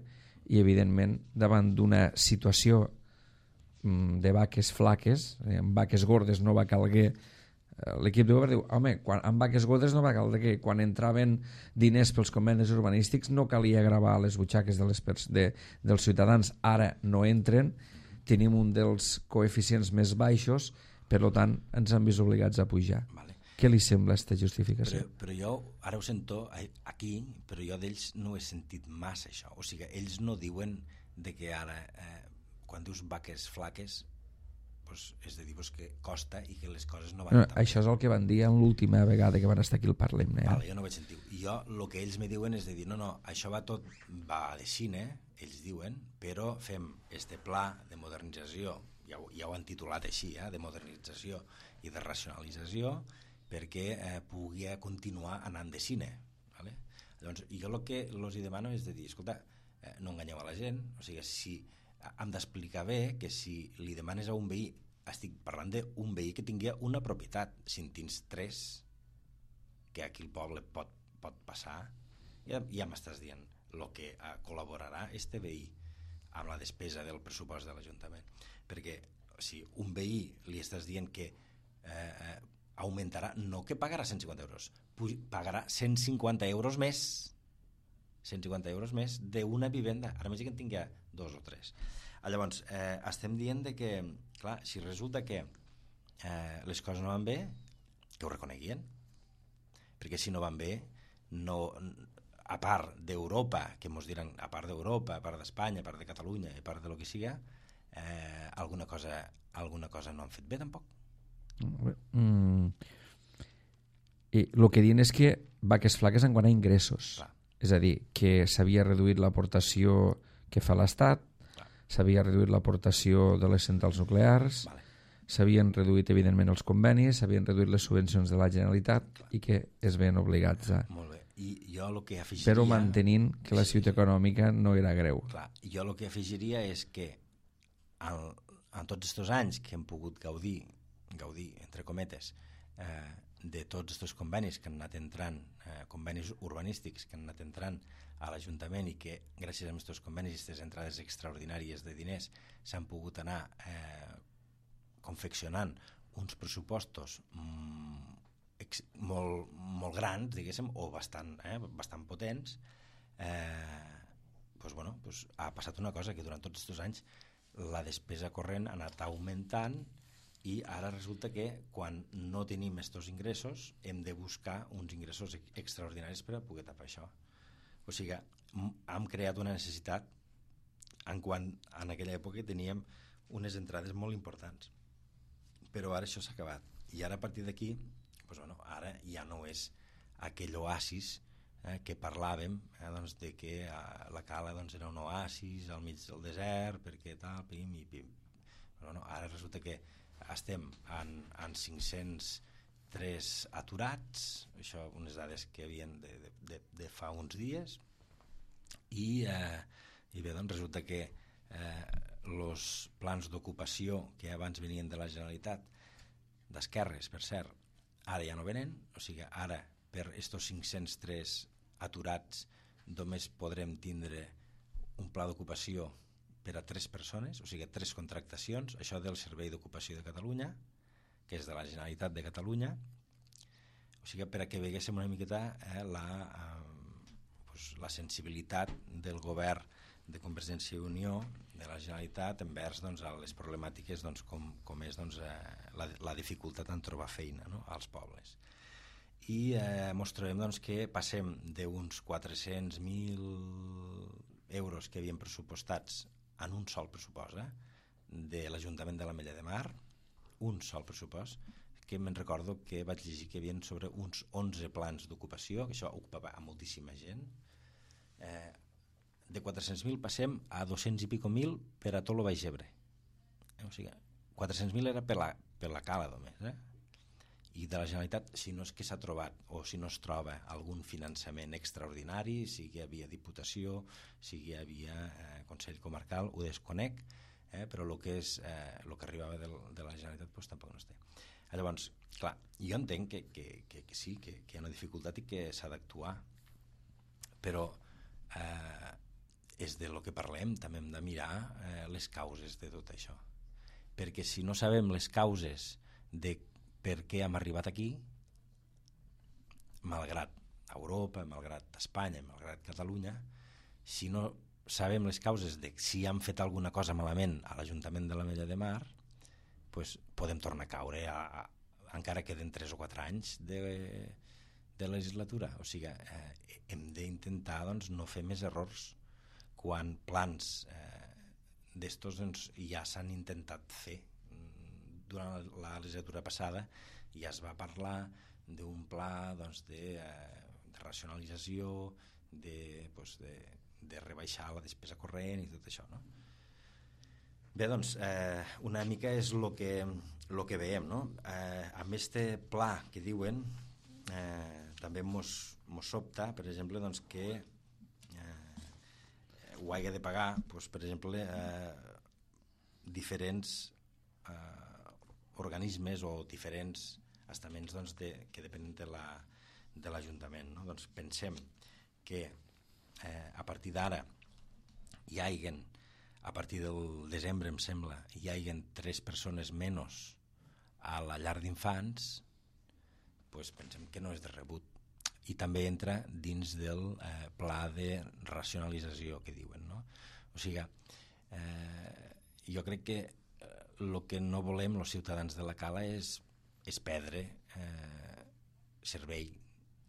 i evidentment davant d'una situació de vaques flaques, amb vaques gordes no va calguer, l'equip de govern diu, home, quan, amb vaques gordes no va calguer, quan entraven diners pels convenis urbanístics no calia gravar les butxaques de les pers de, dels ciutadans, ara no entren, tenim un dels coeficients més baixos, per tant ens han vist obligats a pujar. Vale. Què li sembla aquesta justificació? Però, però jo ara ho sento aquí, però jo d'ells no he sentit massa això, o sigui, ells no diuen de que ara eh, quan dius vaques flaques pues, és de dir pues, que costa i que les coses no van no, això és el que van dir l'última vegada que van estar aquí al Parlem. Eh? Vale, jo no vaig sentir. I jo el que ells me diuen és de dir no, no, això va tot va de Xina, ells diuen, però fem este pla de modernització, ja ho, ja ho han titulat així, eh, de modernització i de racionalització perquè eh, pugui continuar anant de Xina. Vale? Llavors, jo el que els demano és de dir, escolta, eh, no enganyeu a la gent, o sigui, si hem d'explicar bé que si li demanes a un veí, estic parlant d'un veí que tingui una propietat, si en tens tres que aquí el poble pot, pot passar, ja, ja m'estàs dient el que uh, col·laborarà este veí amb la despesa del pressupost de l'Ajuntament, perquè si un veí li estàs dient que eh, augmentarà, no que pagarà cent cinquanta euros, pagarà cent cinquanta euros més cent cinquanta euros més d'una vivenda, ara més que en tingui dos o tres. Llavors, eh, estem dient de que, clar, si resulta que eh, les coses no van bé, que ho reconeguien, perquè si no van bé, no, a part d'Europa, que ens diran, a part d'Europa, a part d'Espanya, a part de Catalunya, a part de lo que siga, eh, alguna cosa, alguna cosa no han fet bé, tampoc. Mm. I el que diuen és que vaques flaques en quant a ingressos. Clar. És a dir, que s'havia reduït l'aportació que fa l'Estat, s'havia reduït l'aportació de les centrals nuclears, vale. S'havien reduït, evidentment, els convenis, s'havien reduït les subvencions de la Generalitat, clar. I que es veien obligats a... Molt bé. I jo el que afegiria... Però mantenint que la situació econòmica no era greu. Clar. Jo el que afegiria és que en, en tots aquests anys que hem pogut gaudir, gaudir, entre cometes, eh, de tots aquests convenis que han anat entrant, eh, convenis urbanístics que han anat entrant a l'Ajuntament i que gràcies a aquests convenis i aquestes entrades extraordinàries de diners s'han pogut anar eh, confeccionant uns pressupostos mm, ex, molt, molt grans, diguéssim, o bastant, eh, bastant potents, eh, doncs, bueno, doncs ha passat una cosa que durant tots aquests anys la despesa corrent ha anat augmentant i ara resulta que quan no tenim aquests ingressos hem de buscar uns ingressos extraordinaris per a poder tapar això. O sigui, hem creat una necessitat en quan en aquella època teníem unes entrades molt importants. Però ara això s'ha acabat. I ara a partir d'aquí, doncs, bueno, ara ja no és aquell oasis eh, que parlàvem, eh, doncs, de que eh, la Cala doncs, era un oasis al mig del desert, perquè tal, pim i pim. Però no, ara resulta que estem en, en cinc-cents tres aturats, això unes dades que havien de, de, de, de fa uns dies, i, eh, i bé, doncs resulta que els eh, plans d'ocupació que abans venien de la Generalitat, d'esquerres, per cert, ara ja no venen, o sigui, ara per estos cinc-cents tres aturats només podrem tindre un pla d'ocupació per a tres persones, o sigui, tres contractacions, això del Servei d'Ocupació de Catalunya, que és de la Generalitat de Catalunya, o sigui, per a que veiéssim una miqueta eh, la, eh, pues, la sensibilitat del govern de Convergència i Unió, de la Generalitat, envers doncs, a les problemàtiques doncs, com, com és doncs, eh, la, la dificultat en trobar feina, no?, als pobles. I eh, mos trobem doncs, que passem d'uns quatre-cents mil euros que havien pressupostats en un sol pressupost eh, de l'Ajuntament de l'Ametlla de Mar, un sol pressupost, que me'n recordo que vaig llegir que hi havia sobre uns onze plans d'ocupació, que això ocupava a moltíssima gent. Eh, de quatre-cents mil passem a dos-cents i pico mil per a tot el Baix Ebre. Eh, o sigui, quatre-cents mil era per la, per la cala només, eh? I de la Generalitat, si no és que s'ha trobat o si no es troba algun finançament extraordinari, sigui hi havia Diputació, sigui hi havia eh, Consell Comarcal, ho desconec, eh, però el que, és, eh, el que arribava del, de la Generalitat pues, tampoc no es té. Llavors, clar, jo entenc que, que, que, que sí, que, que hi ha una dificultat i que s'ha d'actuar, però eh, és de lo que parlem, també hem de mirar eh, les causes de tot això. Perquè si no sabem les causes de per què hem arribat aquí, malgrat Europa, malgrat Espanya, malgrat Catalunya, si no sabem les causes de si han fet alguna cosa malament a l'Ajuntament de l'Ametlla de Mar, pues podem tornar a caure, a, a, encara queden tres o quatre anys de, de legislatura. O sigui, eh, hem d'intentar doncs, no fer més errors quan plans eh, d'estos doncs, ja s'han intentat fer. Durant la legislatura passada ja es va parlar d'un pla doncs, de, eh, de racionalització, de, doncs, de, de rebaixar la despesa corrent i tot això, no? Bé, doncs, eh, una mica és el que, lo que veiem, no? Eh, amb este pla que diuen, eh, també mos, mos sobta, per exemple, doncs, que eh, ho hagi de pagar, doncs, per exemple, eh, diferents eh, organismes o diferents estaments doncs, de, que depenen de la, de l'Ajuntament. No? Doncs pensem que eh, a partir d'ara hi haiguen, a partir del desembre, em sembla, hi haiguen tres persones menys a la llar d'infants, doncs pensem que no és de rebut. I també entra dins del eh, pla de racionalització que diuen. No? O sigui, eh, jo crec que el que no volem els ciutadans de la Cala és, és perdre eh, servei,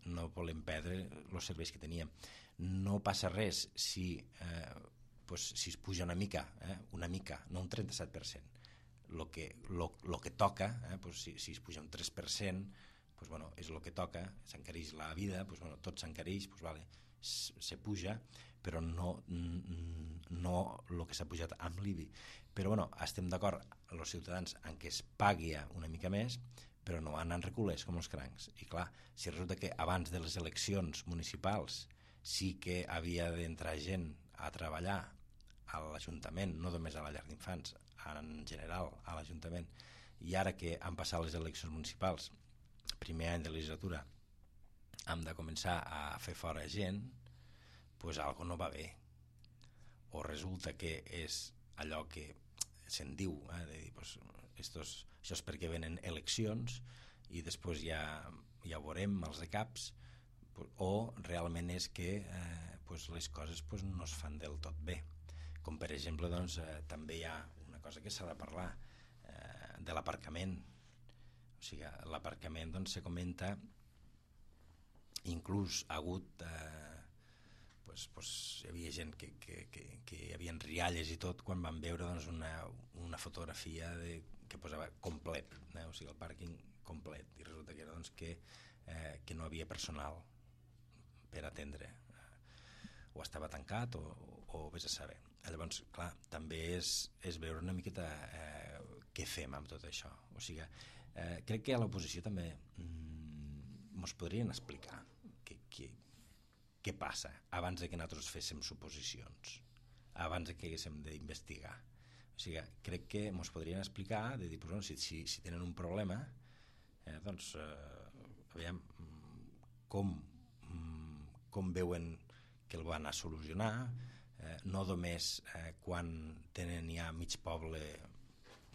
no volem perdre els serveis que teníem. No passa res si, eh, pues, si es puja una mica, eh, una mica, no un trenta-set per cent. Lo que, lo, lo que toca, eh, pues, si, si es puja un tres per cent, pues, bueno, és el que toca, s'encareix la vida, pues, bueno, tot s'encareix, pues, vale, se puja, però no, no el que s'ha pujat amb l'I B I. Però bueno, estem d'acord els ciutadans en què es pagui una mica més, però no anant reculers com els crancs. I clar, si resulta que abans de les eleccions municipals sí que havia d'entrar gent a treballar a l'Ajuntament, no només a la llar d'infants, en general a l'Ajuntament, i ara que han passat les eleccions municipals, primer any de legislatura, hem de començar a fer fora gent, doncs algo no va bé. O resulta que és allò que se'n diu, eh, de dir, pues, estos, això és perquè venen eleccions i després ja, ja ho veurem els de caps, o realment és que eh, pues, les coses pues, no es fan del tot bé. Com per exemple, doncs, eh, també hi ha una cosa que s'ha de parlar, eh, de l'aparcament. O sigui, l'aparcament doncs, se comenta, inclús ha hagut eh, pues, pues, hi havia gent que, que, que, que hi havia rialles i tot quan van veure doncs, una, una fotografia de, que posava complet, eh? O sigui, el pàrquing complet, i resulta que era doncs, que, eh, que no havia personal per atendre, o estava tancat o, o vés a saber. Llavors, clar, també és, és veure una miqueta eh, què fem amb tot això. O sigui, eh, crec que a l'oposició també mm, mos podrien explicar què, què, què passa abans de que nosaltres féssim suposicions, abans de que haguéssim d'investigar. O sigui, crec que mos podrien explicar, de dir, pues, bueno, si, si, si tenen un problema, eh, doncs eh, aviam, com, com veuen que el van a solucionar, eh, no només eh, quan tenen ja mig poble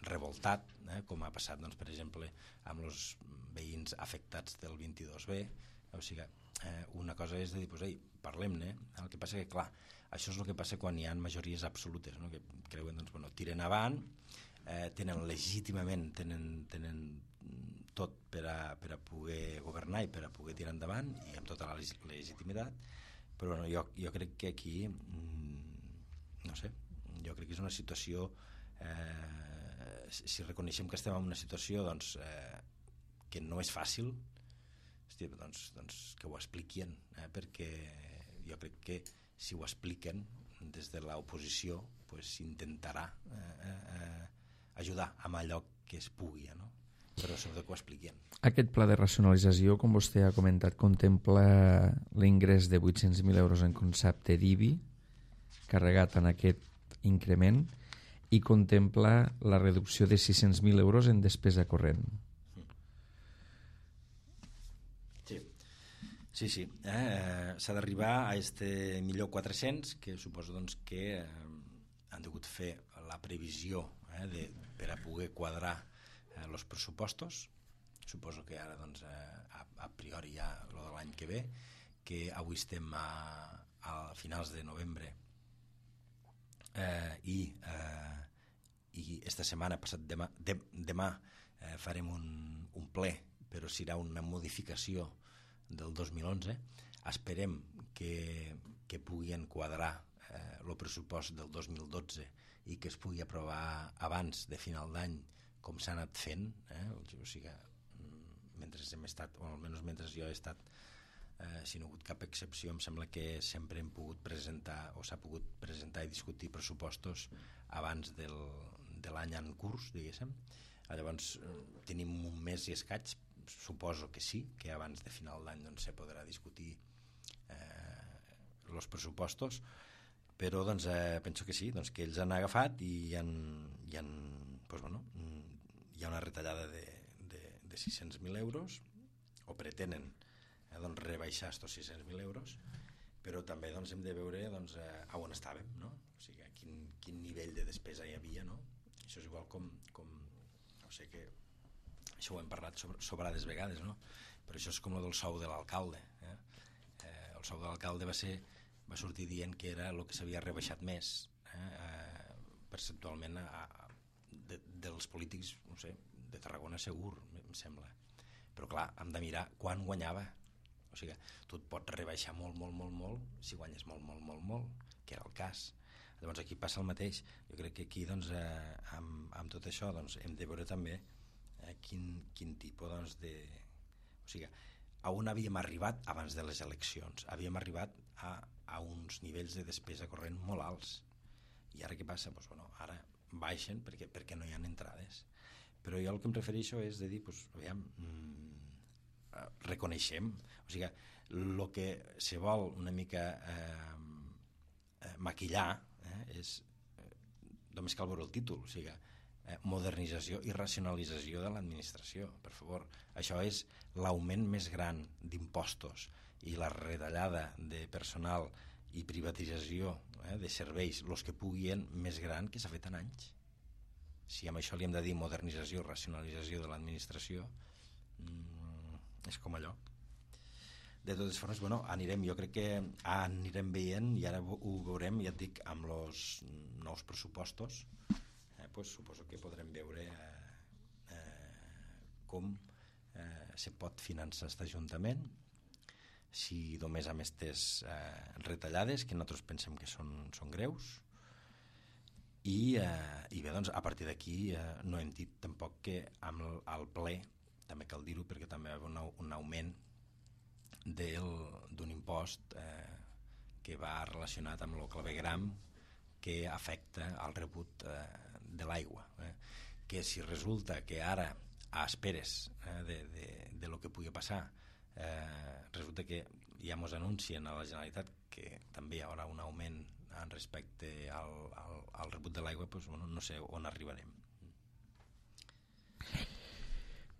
revoltat, eh, com ha passat, doncs, per exemple, amb els veïns afectats del vint-i-dos B. O sigui, eh, una cosa és de dir, pues, ei, parlem-ne. El que passa que, clar, això és el que passa quan hi ha majories absolutes, no? Que creuen, doncs, bueno, tiren avant, eh, tenen legítimament, tenen, tenen tot per a, per a poder governar i per a poder tirar endavant, i amb tota la legitimitat, però bueno, jo, jo crec que aquí, no sé, jo crec que és una situació, eh, si reconeixem que estem en una situació, doncs, eh, que no és fàcil, hosti, doncs, doncs que ho expliquin, eh, perquè jo crec que si ho expliquen des de l'oposició, pues, s'intentarà eh, eh, ajudar amb allò que es pugui, no? Però sobretot que ho expliquin. Aquest pla de racionalització, com vostè ha comentat, contempla l'ingrés de vuit-cents mil euros en concepte d'I B I, carregat en aquest increment, i contempla la reducció de sis-cents mil euros en despesa corrent. Sí, sí, sí. Eh, s'ha d'arribar a este millor quatre-cents, que suposo, doncs, que eh, han degut fer la previsió eh, de, per a poder quadrar els eh, pressupostos. Suposo que ara, doncs, eh, a, a priori ja lo de l'any que ve, que avui estem a, a finals de novembre, eh, i eh, i esta setmana, passat demà, de, demà eh, farem un, un ple, però serà una modificació del dos mil onze. Esperem que, que puguin quadrar eh, el pressupost del dos mil dotze i que es pugui aprovar abans de final d'any, com s'ha anat fent, eh? O sigui, mentre hem estat, o almenys mentre jo he estat, eh, si no ha hagut cap excepció, em sembla que sempre hem pogut presentar, o s'ha pogut presentar i discutir pressupostos abans del, de l'any en curs, diguéssim. Llavors, tenim un mes i escaig, suposo que sí, que abans de final d'any, doncs, se podrà discutir els eh, pressupostos, però, doncs, eh, penso que sí, doncs, que ells han agafat i hi han, hi han, doncs, bueno, hi ha una retallada de, de, de sis-cents mil euros, o pretenen eh, doncs, rebaixar estos sis-cents mil euros, però també, doncs, hem de veure, doncs, eh, on estàvem, no? O sigui, quin, quin nivell de despesa hi havia, no? Això és igual com, com no sé, que això ho hem parlat sobre, sobrades vegades, no? Però això és com el del sou de l'alcalde, eh? Eh, el sou de l'alcalde va ser, va sortir dient que era el que s'havia rebaixat més, eh? Eh, percentualment a, a De, dels polítics, no sé, de Tarragona segur, em sembla. Però clar, hem de mirar quan guanyava. O sigui, tu et pots rebaixar molt, molt, molt, molt si guanyes molt, molt, molt, molt, que era el cas. Llavors aquí passa el mateix. Jo crec que aquí, doncs, eh, amb, amb tot això, doncs, hem de veure també eh, quin, quin tipus, doncs, de... O sigui, a on havíem arribat abans de les eleccions? Havíem arribat a, a uns nivells de despesa corrent molt alts. I ara què passa? Doncs, bueno, ara baixen perquè, perquè no hi ha entrades, però jo el que em refereixo és de dir, pues, aviam, mmm, reconeixem, o sigui, el que se vol una mica eh, eh, maquillar eh, és eh, només cal veure el títol, o sigui, eh, modernització i racionalització de l'administració, per favor. Això és l'augment més gran d'impostos i la retallada de personal i privatització eh, de serveis, els que puguin, més gran que s'ha fet en anys. Si amb això li hem de dir modernització, racionalització de l'administració, mmm, és com allò. De totes formes, bueno, anirem, jo crec que anirem veient, i ara ho veurem, ja et dic, amb els nous pressupostos, eh, pues, suposo que podrem veure eh, eh, com eh, se pot finançar aquest ajuntament, si només amb aquestes eh, retallades, que nosaltres pensem que són, són greus, i, eh, i bé, doncs, a partir d'aquí eh, no hem dit tampoc que amb el, el ple, també cal dir-ho, perquè també hi ha un, un augment d'un impost eh, que va relacionat amb el clavegram que afecta el rebut eh, de l'aigua, eh, que si resulta que ara a esperes eh, de, de, de lo que pugui passar, Eh, resulta que ja ens anuncien a la Generalitat que també hi haurà un augment en respecte al, al, al rebut de l'aigua, doncs, bueno, no sé on arribarem.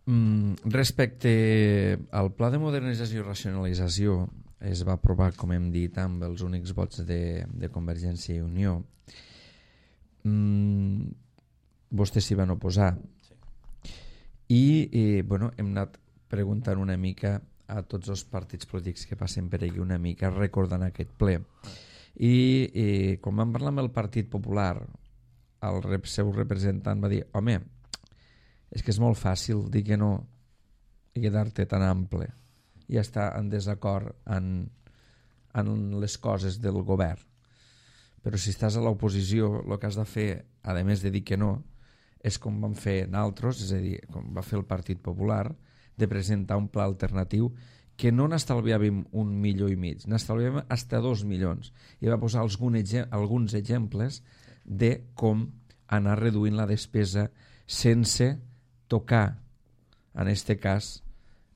Mm, respecte al pla de modernització i racionalització, es va aprovar, com hem dit, amb els únics vots de, de Convergència i Unió. Mm, vostès s'hi van oposar. Sí. I, i bueno, hem anat preguntant una mica a tots els partits polítics que passen per aquí una mica recordant aquest ple. I, i quan vam parlar amb el Partit Popular, el rep, seu representant va dir: home, és que és molt fàcil dir que no i quedar-te tan ample i estar en desacord en, en les coses del govern. Però si estàs a l'oposició, el que has de fer, a més de dir que no, és com van fer naltros, és a dir, com va fer el Partit Popular, de presentar un pla alternatiu que no n'estalviàvem un milió i mig, n'estalviàvem fins dos milions. I va posar alguns, alguns exemples de com anar reduint la despesa sense tocar, en este cas,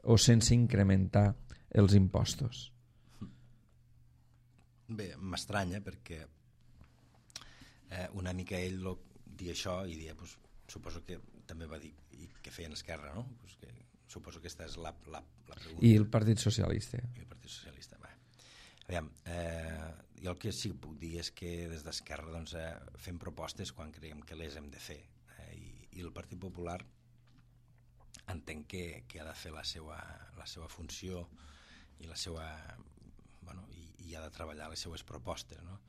o sense incrementar els impostos. Bé, m'estranya perquè eh, una mica ell lo, dir això i dir, pues, suposo que també va dir i que feien Esquerra, no? Pues que, suposo que aquesta és la, la, la pregunta. I el Partit Socialista. I el Partit Socialista, va. Aviam, eh, jo el que sí que puc dir és que des d'Esquerra doncs, eh, fem propostes quan creiem que les hem de fer. Eh, i, I el Partit Popular entenc que, que ha de fer la seva, la seva funció i la seva, bueno, i, i ha de treballar les seues propostes, no?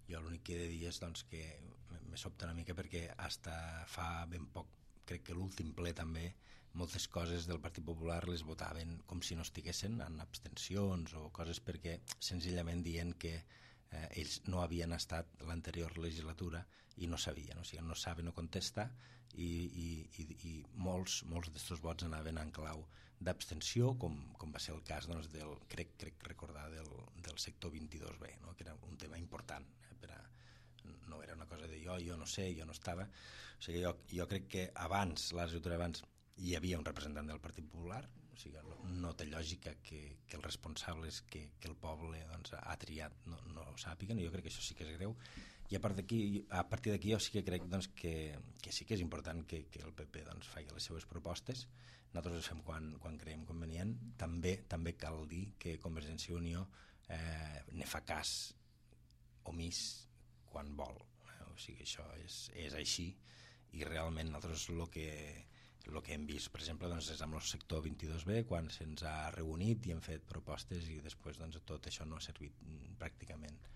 Jo l'únic que he de dir és doncs, que me sobta una mica perquè hasta fa ben poc, crec que l'últim ple també, moltes coses del Partit Popular les votaven com si no estiguessin en abstencions o coses perquè senzillament dient que eh, ells no havien estat l'anterior legislatura i no sabien, o sigui, no saben o contestar i, i, i, i molts, molts d'estos vots anaven en clau d'abstenció, com, com va ser el cas doncs, del, crec, crec recordar del, del sector vint-i-dos be, no? Que era un tema important, eh, per a, no era una cosa de jo, jo no sé, jo no estava, o sigui, jo, jo crec que abans, la legislatura abans, hi havia un representant del Partit Popular, o sigui, no, no té lògica que, que els responsables que, que el poble doncs, ha triat no, no ho sàpiguen, i jo crec que això sí que és greu. I a, part a partir d'aquí jo sí que crec doncs, que, que sí que és important que, que el P P doncs, faci les seues propostes. Nosaltres ho fem quan, quan creiem convenient. També també cal dir que Convergència i Unió eh, ne fa cas omís quan vol. Eh? O sigui, això és, és així i realment nosaltres el que, el que hem vist, per exemple, doncs, és amb el sector vint-i-dos be, quan se'ns ha reunit i hem fet propostes i després doncs, tot això no ha servit pràcticament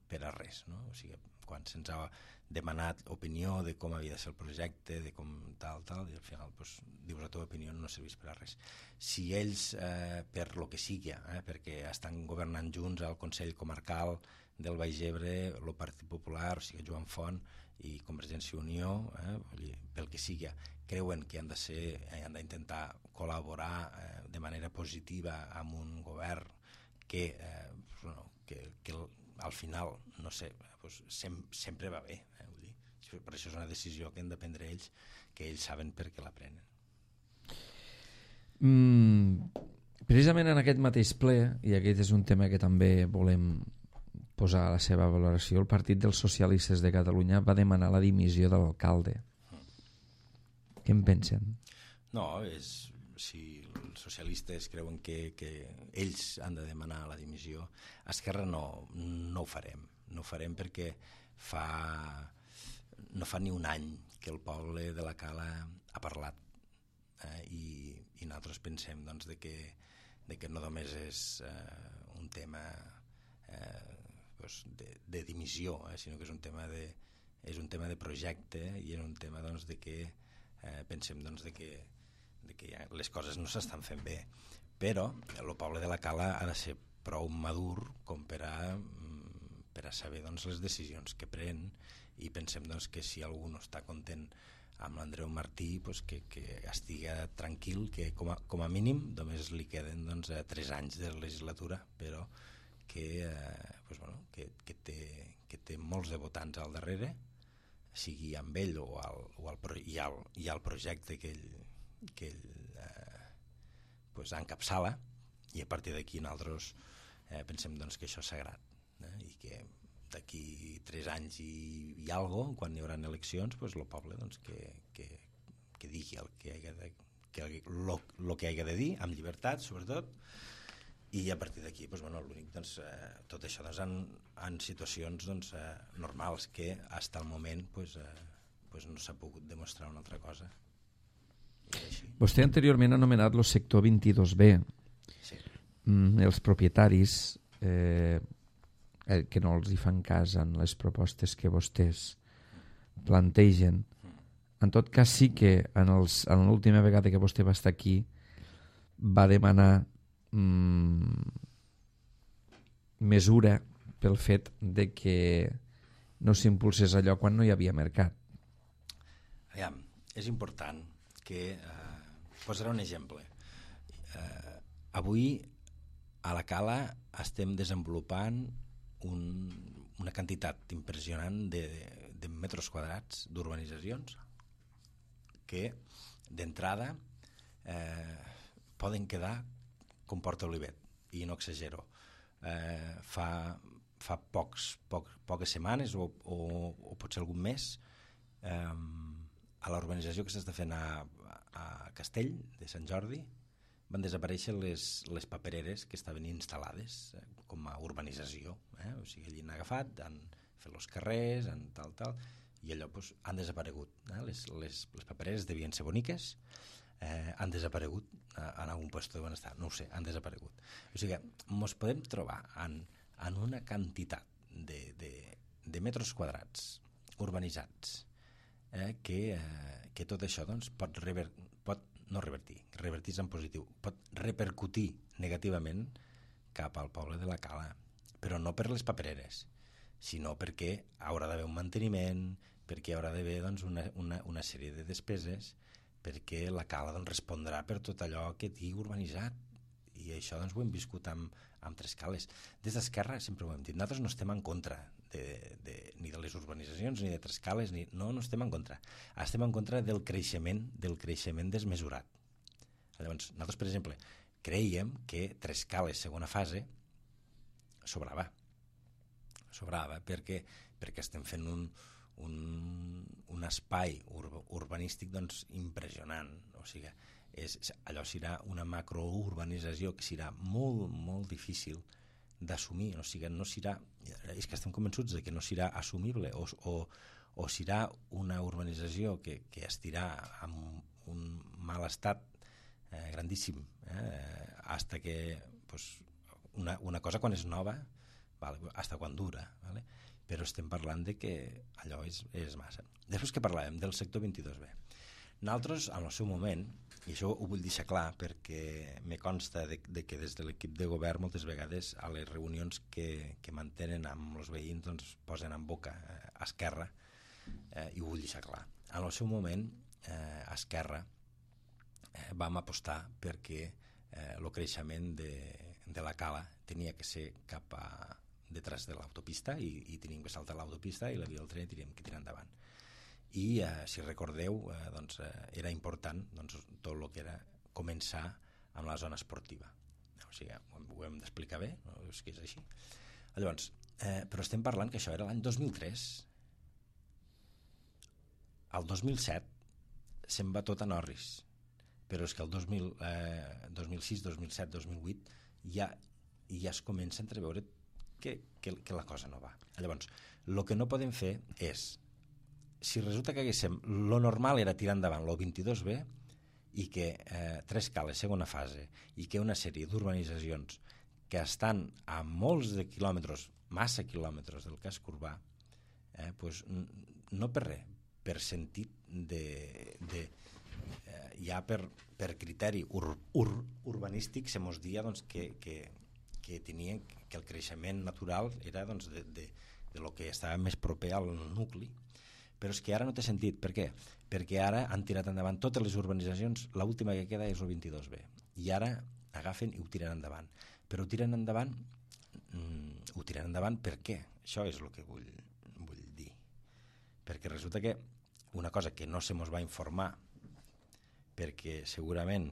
per a res, no? O sigui, quan se'ns ha demanat opinió de com havia de ser el projecte, de com tal, tal, i al final doncs, dius la teva opinió no serveix per a res. Si ells, eh, per lo que sigui, eh, perquè estan governant junts al Consell Comarcal del Baix Ebre, el Partit Popular, o sigui, Joan Font i Convergència i Unió, eh, pel que sigui, creuen que han de ser, eh, han d'intentar col·laborar eh, de manera positiva amb un govern que, eh, bueno, que, que al final, no sé, doncs sem sempre va bé. Eh, vull dir. Per això és una decisió que han de prendre ells, que ells saben per què la prenen. Mm, precisament en aquest mateix ple, i aquest és un tema que també volem posar a la seva valoració, el Partit dels Socialistes de Catalunya va demanar la dimissió de l'alcalde. Mm. Què en pensen? No, és... si els socialistes creuen que, que ells han de demanar la dimissió, a Esquerra no, no ho farem. No ho farem perquè fa, no fa ni un any que el poble de la Cala ha parlat eh, i, i nosaltres pensem doncs, de, que, de que no només és eh, un tema eh, doncs de, de dimissió, eh, sinó que és un tema de, és un tema de projecte i és un tema doncs, de que eh, pensem doncs, de que de que ja les coses no s'estan fent bé, però el poble de la Cala ha de ser prou madur com per a, per a saber doncs, les decisions que pren i pensem doncs, que si algú no està content amb l'Andreu Martí doncs, que, que estigui tranquil, que com a, com a mínim només li queden doncs, tres anys de legislatura, però que, eh, doncs, bueno, que, que, té, que té molts de votants al darrere, sigui amb ell o, al, o al, i, al, i al projecte que ell que ell eh, pues, encapçala i a partir d'aquí nosaltres eh, pensem doncs, que això és sagrat eh, i que d'aquí tres anys i, i algo, quan hi haurà eleccions pues, el poble doncs, que, que, que digui el que, que lo, lo que hagi de dir, amb llibertat, sobretot, i a partir d'aquí, doncs, bueno, l'únic, doncs, eh, tot això doncs, en, en situacions doncs, eh, normals que, fins al moment, doncs, eh, doncs no s'ha pogut demostrar una altra cosa. Vostè anteriorment ha anomenat el sector vint-i-dos be. Sí. Mm, els propietaris eh, que no els hi fan cas en les propostes que vostès plantegen. En tot cas, sí que en, els, en l'última vegada que vostè va estar aquí va demanar mm, mesura pel fet de que no s'impulsés allò quan no hi havia mercat. Aviam, és important que, eh, posaré un exemple. Eh, avui a la Cala estem desenvolupant un, una quantitat impressionant de, de metres quadrats d'urbanitzacions que d'entrada eh, poden quedar com Porta Olivet, i no exagero. Eh, fa, fa pocs, poc, poques setmanes o, o, o potser algun mes eh, a la urbanització que s'està fent a, a Castell de Sant Jordi van desaparèixer les, les papereres que estaven instal·lades eh, com a urbanització. Eh? O sigui, allí han agafat, han fet els carrers, han tal, tal, i allò pues, han desaparegut. Eh? Les, les, les papereres devien ser boniques, eh, han desaparegut eh, en algun lloc on estar, no ho sé, han desaparegut. O sigui, ens podem trobar en, en una quantitat de, de, de metres quadrats urbanitzats eh, que, eh, que tot això doncs, pot, rever, pot no revertir, revertir en positiu, pot repercutir negativament cap al poble de la Cala, però no per les papereres, sinó perquè haurà d'haver un manteniment, perquè haurà d'haver doncs, una, una, una sèrie de despeses, perquè la Cala doncs, respondrà per tot allò que tingui urbanitzat, i això doncs, ho hem viscut amb, amb Trescales. Des d'Esquerra sempre ho hem dit, nosaltres no estem en contra de, de, ni de les urbanitzacions ni de Trescales, ni, no, no estem en contra. Estem en contra del creixement, del creixement desmesurat. Llavors, nosaltres, per exemple, creiem que Trescales, segona fase, sobrava. Sobrava perquè, perquè estem fent un, un, un espai ur, urbanístic doncs, impressionant. O sigui, és, allò serà una macrourbanització que serà molt, molt difícil d'assumir, o sigui, no serà, és que estem convençuts de que no serà assumible, o, o, o serà una urbanització que, que estirà amb un mal estat eh, grandíssim, eh, hasta que pues, una, una cosa quan és nova, vale, hasta quan dura, vale? Però estem parlant de que allò és, és massa. Després que parlàvem del sector vint-i-dos be, nosaltres, en el seu moment, i això ho vull deixar clar perquè me consta de, de que des de l'equip de govern moltes vegades a les reunions que, que mantenen amb els veïns doncs, posen en boca eh, Esquerra, eh, i ho vull deixar clar. En el seu moment, eh, Esquerra eh, vam apostar perquè eh, el creixement de, de la Cala tenia que ser cap a detrás de l'autopista i, i teníem que saltar l'autopista i la via del tren teníem que tirar endavant. I eh, si recordeu eh, doncs, eh, era important doncs, tot el que era començar amb la zona esportiva, o sigui, ho, ho hem d'explicar bé, no? És que és així. Llavors, eh, però estem parlant que això era l'any dos mil tres, el dos mil set se'n va tot a Norris, però és que el dos mil, eh, dos mil sis, dos mil set, dos mil vuit ja, ja es comença a entreveure que, que, que la cosa no va. Llavors, el que no podem fer és, si resulta que haguéssim, lo normal era tirar endavant lo vint-i-dos be i que eh, Trescales, segona fase, i que una sèrie d'urbanitzacions que estan a molts de quilòmetres, massa quilòmetres del casc urbà, eh, pues, no per res, per sentit de, de eh, ja per, per criteri ur, ur, urbanístic se mos dia doncs, que, que, que tenien que el creixement natural era doncs, de, de, de lo que estava més proper al nucli. Però és que ara no té sentit. Per què? Perquè ara han tirat endavant totes les urbanitzacions, l'última que queda és el vint-i-dos be, i ara agafen i ho tiren endavant. Però ho tiren endavant mm, ho tiren endavant per què? Això és el que vull, vull dir. Perquè resulta que una cosa que no se mos va informar, perquè segurament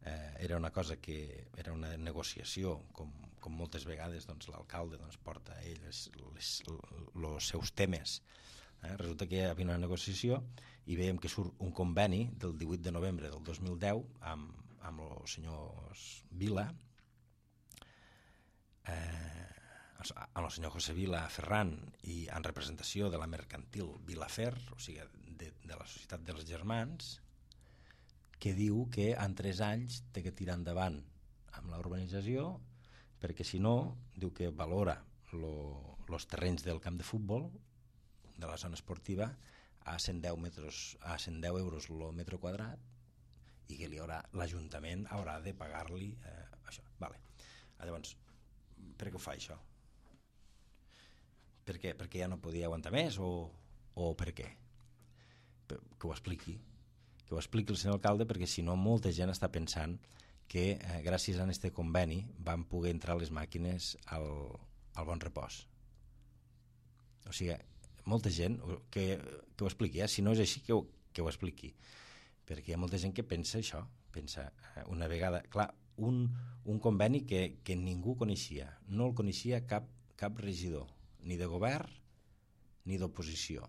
eh, era una cosa que era una negociació, com, com moltes vegades doncs, l'alcalde doncs, porta a ell els, les, els seus temes Eh? Resulta que hi havia una negociació i veiem que surt un conveni del divuit de novembre del dos mil deu amb, amb els senyors Vila, eh, amb el senyor José Vila Ferran i en representació de la mercantil Vilafer, o sigui, de, de la Societat dels Germans, que diu que en tres anys té que tirar endavant amb la urbanització, perquè si no, diu que valora els terrenys del camp de futbol de la zona esportiva a cent deu metres, a cent deu euros el metre quadrat, i que li haurà, l'Ajuntament haurà de pagar-li eh, això. Vale. Llavors, per què ho fa això? Per què? Perquè ja no podia aguantar més o, o per què? Que ho expliqui. Que ho expliqui el senyor alcalde, perquè si no molta gent està pensant que eh, gràcies a aquest conveni van poder entrar les màquines al, al Bon Repòs. O sigui, molta gent que, que ho expliqui, eh? Si no és així, que ho, que ho expliqui, perquè hi ha molta gent que pensa això, pensa eh, una vegada, clar, un, un conveni que, que ningú coneixia, no el coneixia cap, cap regidor, ni de govern ni d'oposició,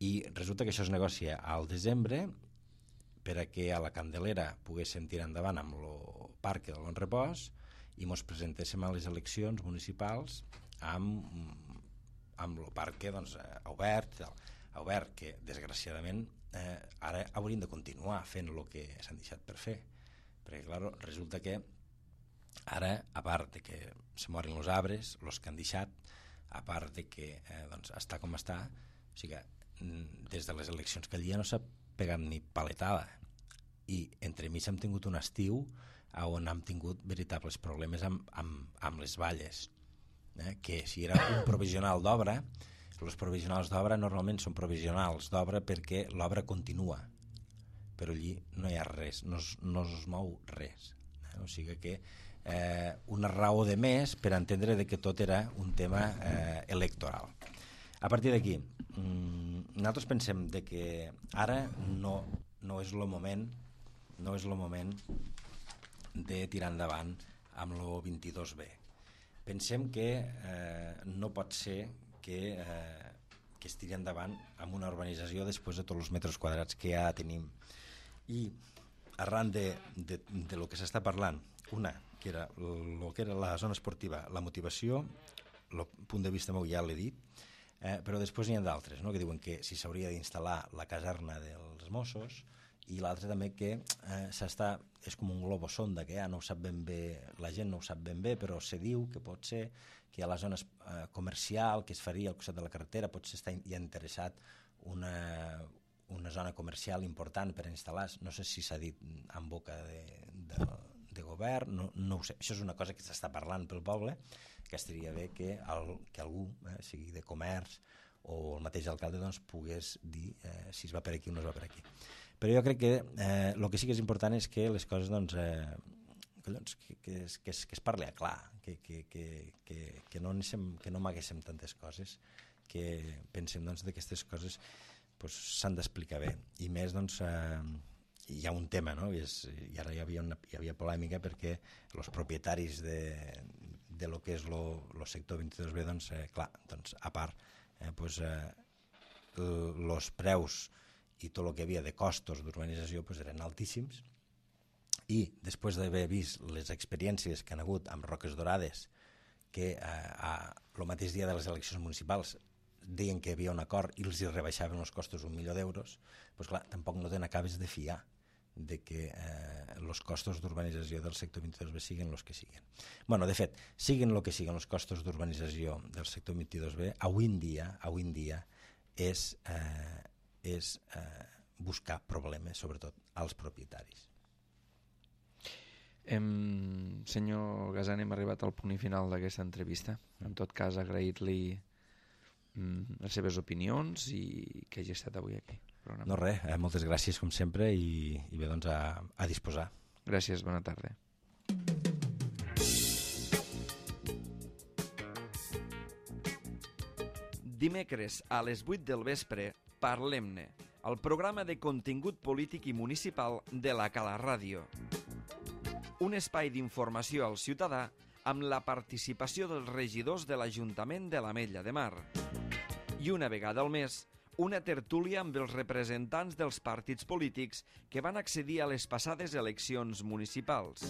i resulta que això es negocia al desembre per a que a la Candelera poguéssim tirar endavant amb el parc del Bon Repòs i mos presentéssim a les eleccions municipals amb amb el parc doncs, obert, obert que desgraciadament eh, ara haurien de continuar fent el que s'han deixat per fer, perquè clar, resulta que ara, a part de que se moren els arbres, els que han deixat, a part de que eh, doncs, està com està, o sigui que des de les eleccions que allà no s'ha pegat ni paletada, i entremig hem tingut un estiu on hem tingut veritables problemes amb, amb, amb les valles, eh? Que si era un provisional d'obra, els provisionals d'obra normalment són provisionals d'obra perquè l'obra continua, però allí no hi ha res, no es, no es mou res, eh? O sigui que eh, una raó de més per entendre de que tot era un tema eh, electoral. A partir d'aquí, nosaltres pensem de que ara no, no és el moment no és el moment de tirar endavant amb el vint-i-dos B. Pensem que eh, no pot ser que, eh, que es tiri endavant amb una urbanització després de tots els metres quadrats que ja tenim. I arran de, de, de lo que s'està parlant, una, que era lo que era la zona esportiva, la motivació, el punt de vista meu ja l'he dit, Eh, però després n'hi ha d'altres, no? Que diuen que si s'hauria d'instal·lar la caserna dels Mossos, i l'altre també que eh, s'està, és com un globo sonda, que ja no ho sap ben bé, la gent no ho sap ben bé, però se diu que pot ser que a la zona eh, comercial que es faria al costat de la carretera potser està ja interessat una, una zona comercial important per instal·lar, no sé si s'ha dit en boca de, de, de govern, no, no ho sé, això és una cosa que s'està parlant pel poble, que estaria bé que, el, que algú, eh, sigui de comerç o el mateix alcalde, doncs, pogués dir eh, si es va per aquí o no es va per aquí. Però jo crec que eh, el que sí que és important és que les coses, doncs, eh, collons, que, que, es, que, es, que es parli a clar, que, que, que, que, que no anéssim, que no amaguéssim tantes coses, que pensem, doncs, que aquestes coses pues, s'han d'explicar bé. I més, doncs, eh, hi ha un tema, no? I, és, i ara hi havia, una, hi havia polèmica perquè els propietaris de de lo que és el sector vint-i-dos B, doncs, eh, clar, doncs, a part, eh, pues, eh, els preus i tot el que havia de costos d'urbanització pues, eren altíssims, i després d'haver vist les experiències que han hagut amb Roques Dorades, que eh, el mateix dia de les eleccions municipals deien que hi havia un acord i els hi rebaixaven els costos un milió d'euros, pues, clar, tampoc no te n'acabes de fiar de que els eh, costos d'urbanització del sector vint-i-dos B siguin els que siguin. Bueno, de fet, siguin el que siguin els costos d'urbanització del sector vint-i-dos B, avui en dia, avui en dia és, eh, és eh, buscar problemes, sobretot als propietaris. Em, senyor Gasan, hem arribat al punt i final d'aquesta entrevista. En tot cas, agrair-li mm, les seves opinions i que hagi estat avui aquí. Programa. No res, eh, moltes gràcies com sempre i, i bé, doncs a, a disposar. Gràcies, bona tarda. Dimecres a les vuit del vespre, Parlem-ne, el programa de contingut polític i municipal de la Cala Ràdio. Un espai d'informació al ciutadà amb la participació dels regidors de l'Ajuntament de l'Ametlla de Mar I una vegada al mes, una tertúlia amb els representants dels partits polítics que van accedir a les passades eleccions municipals.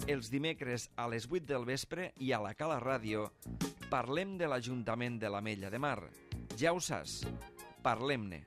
Els dimecres a les vuit del vespre i a la Cala Ràdio parlem de l'Ajuntament de l'Ametlla de Mar. Ja ho saps, parlem-ne.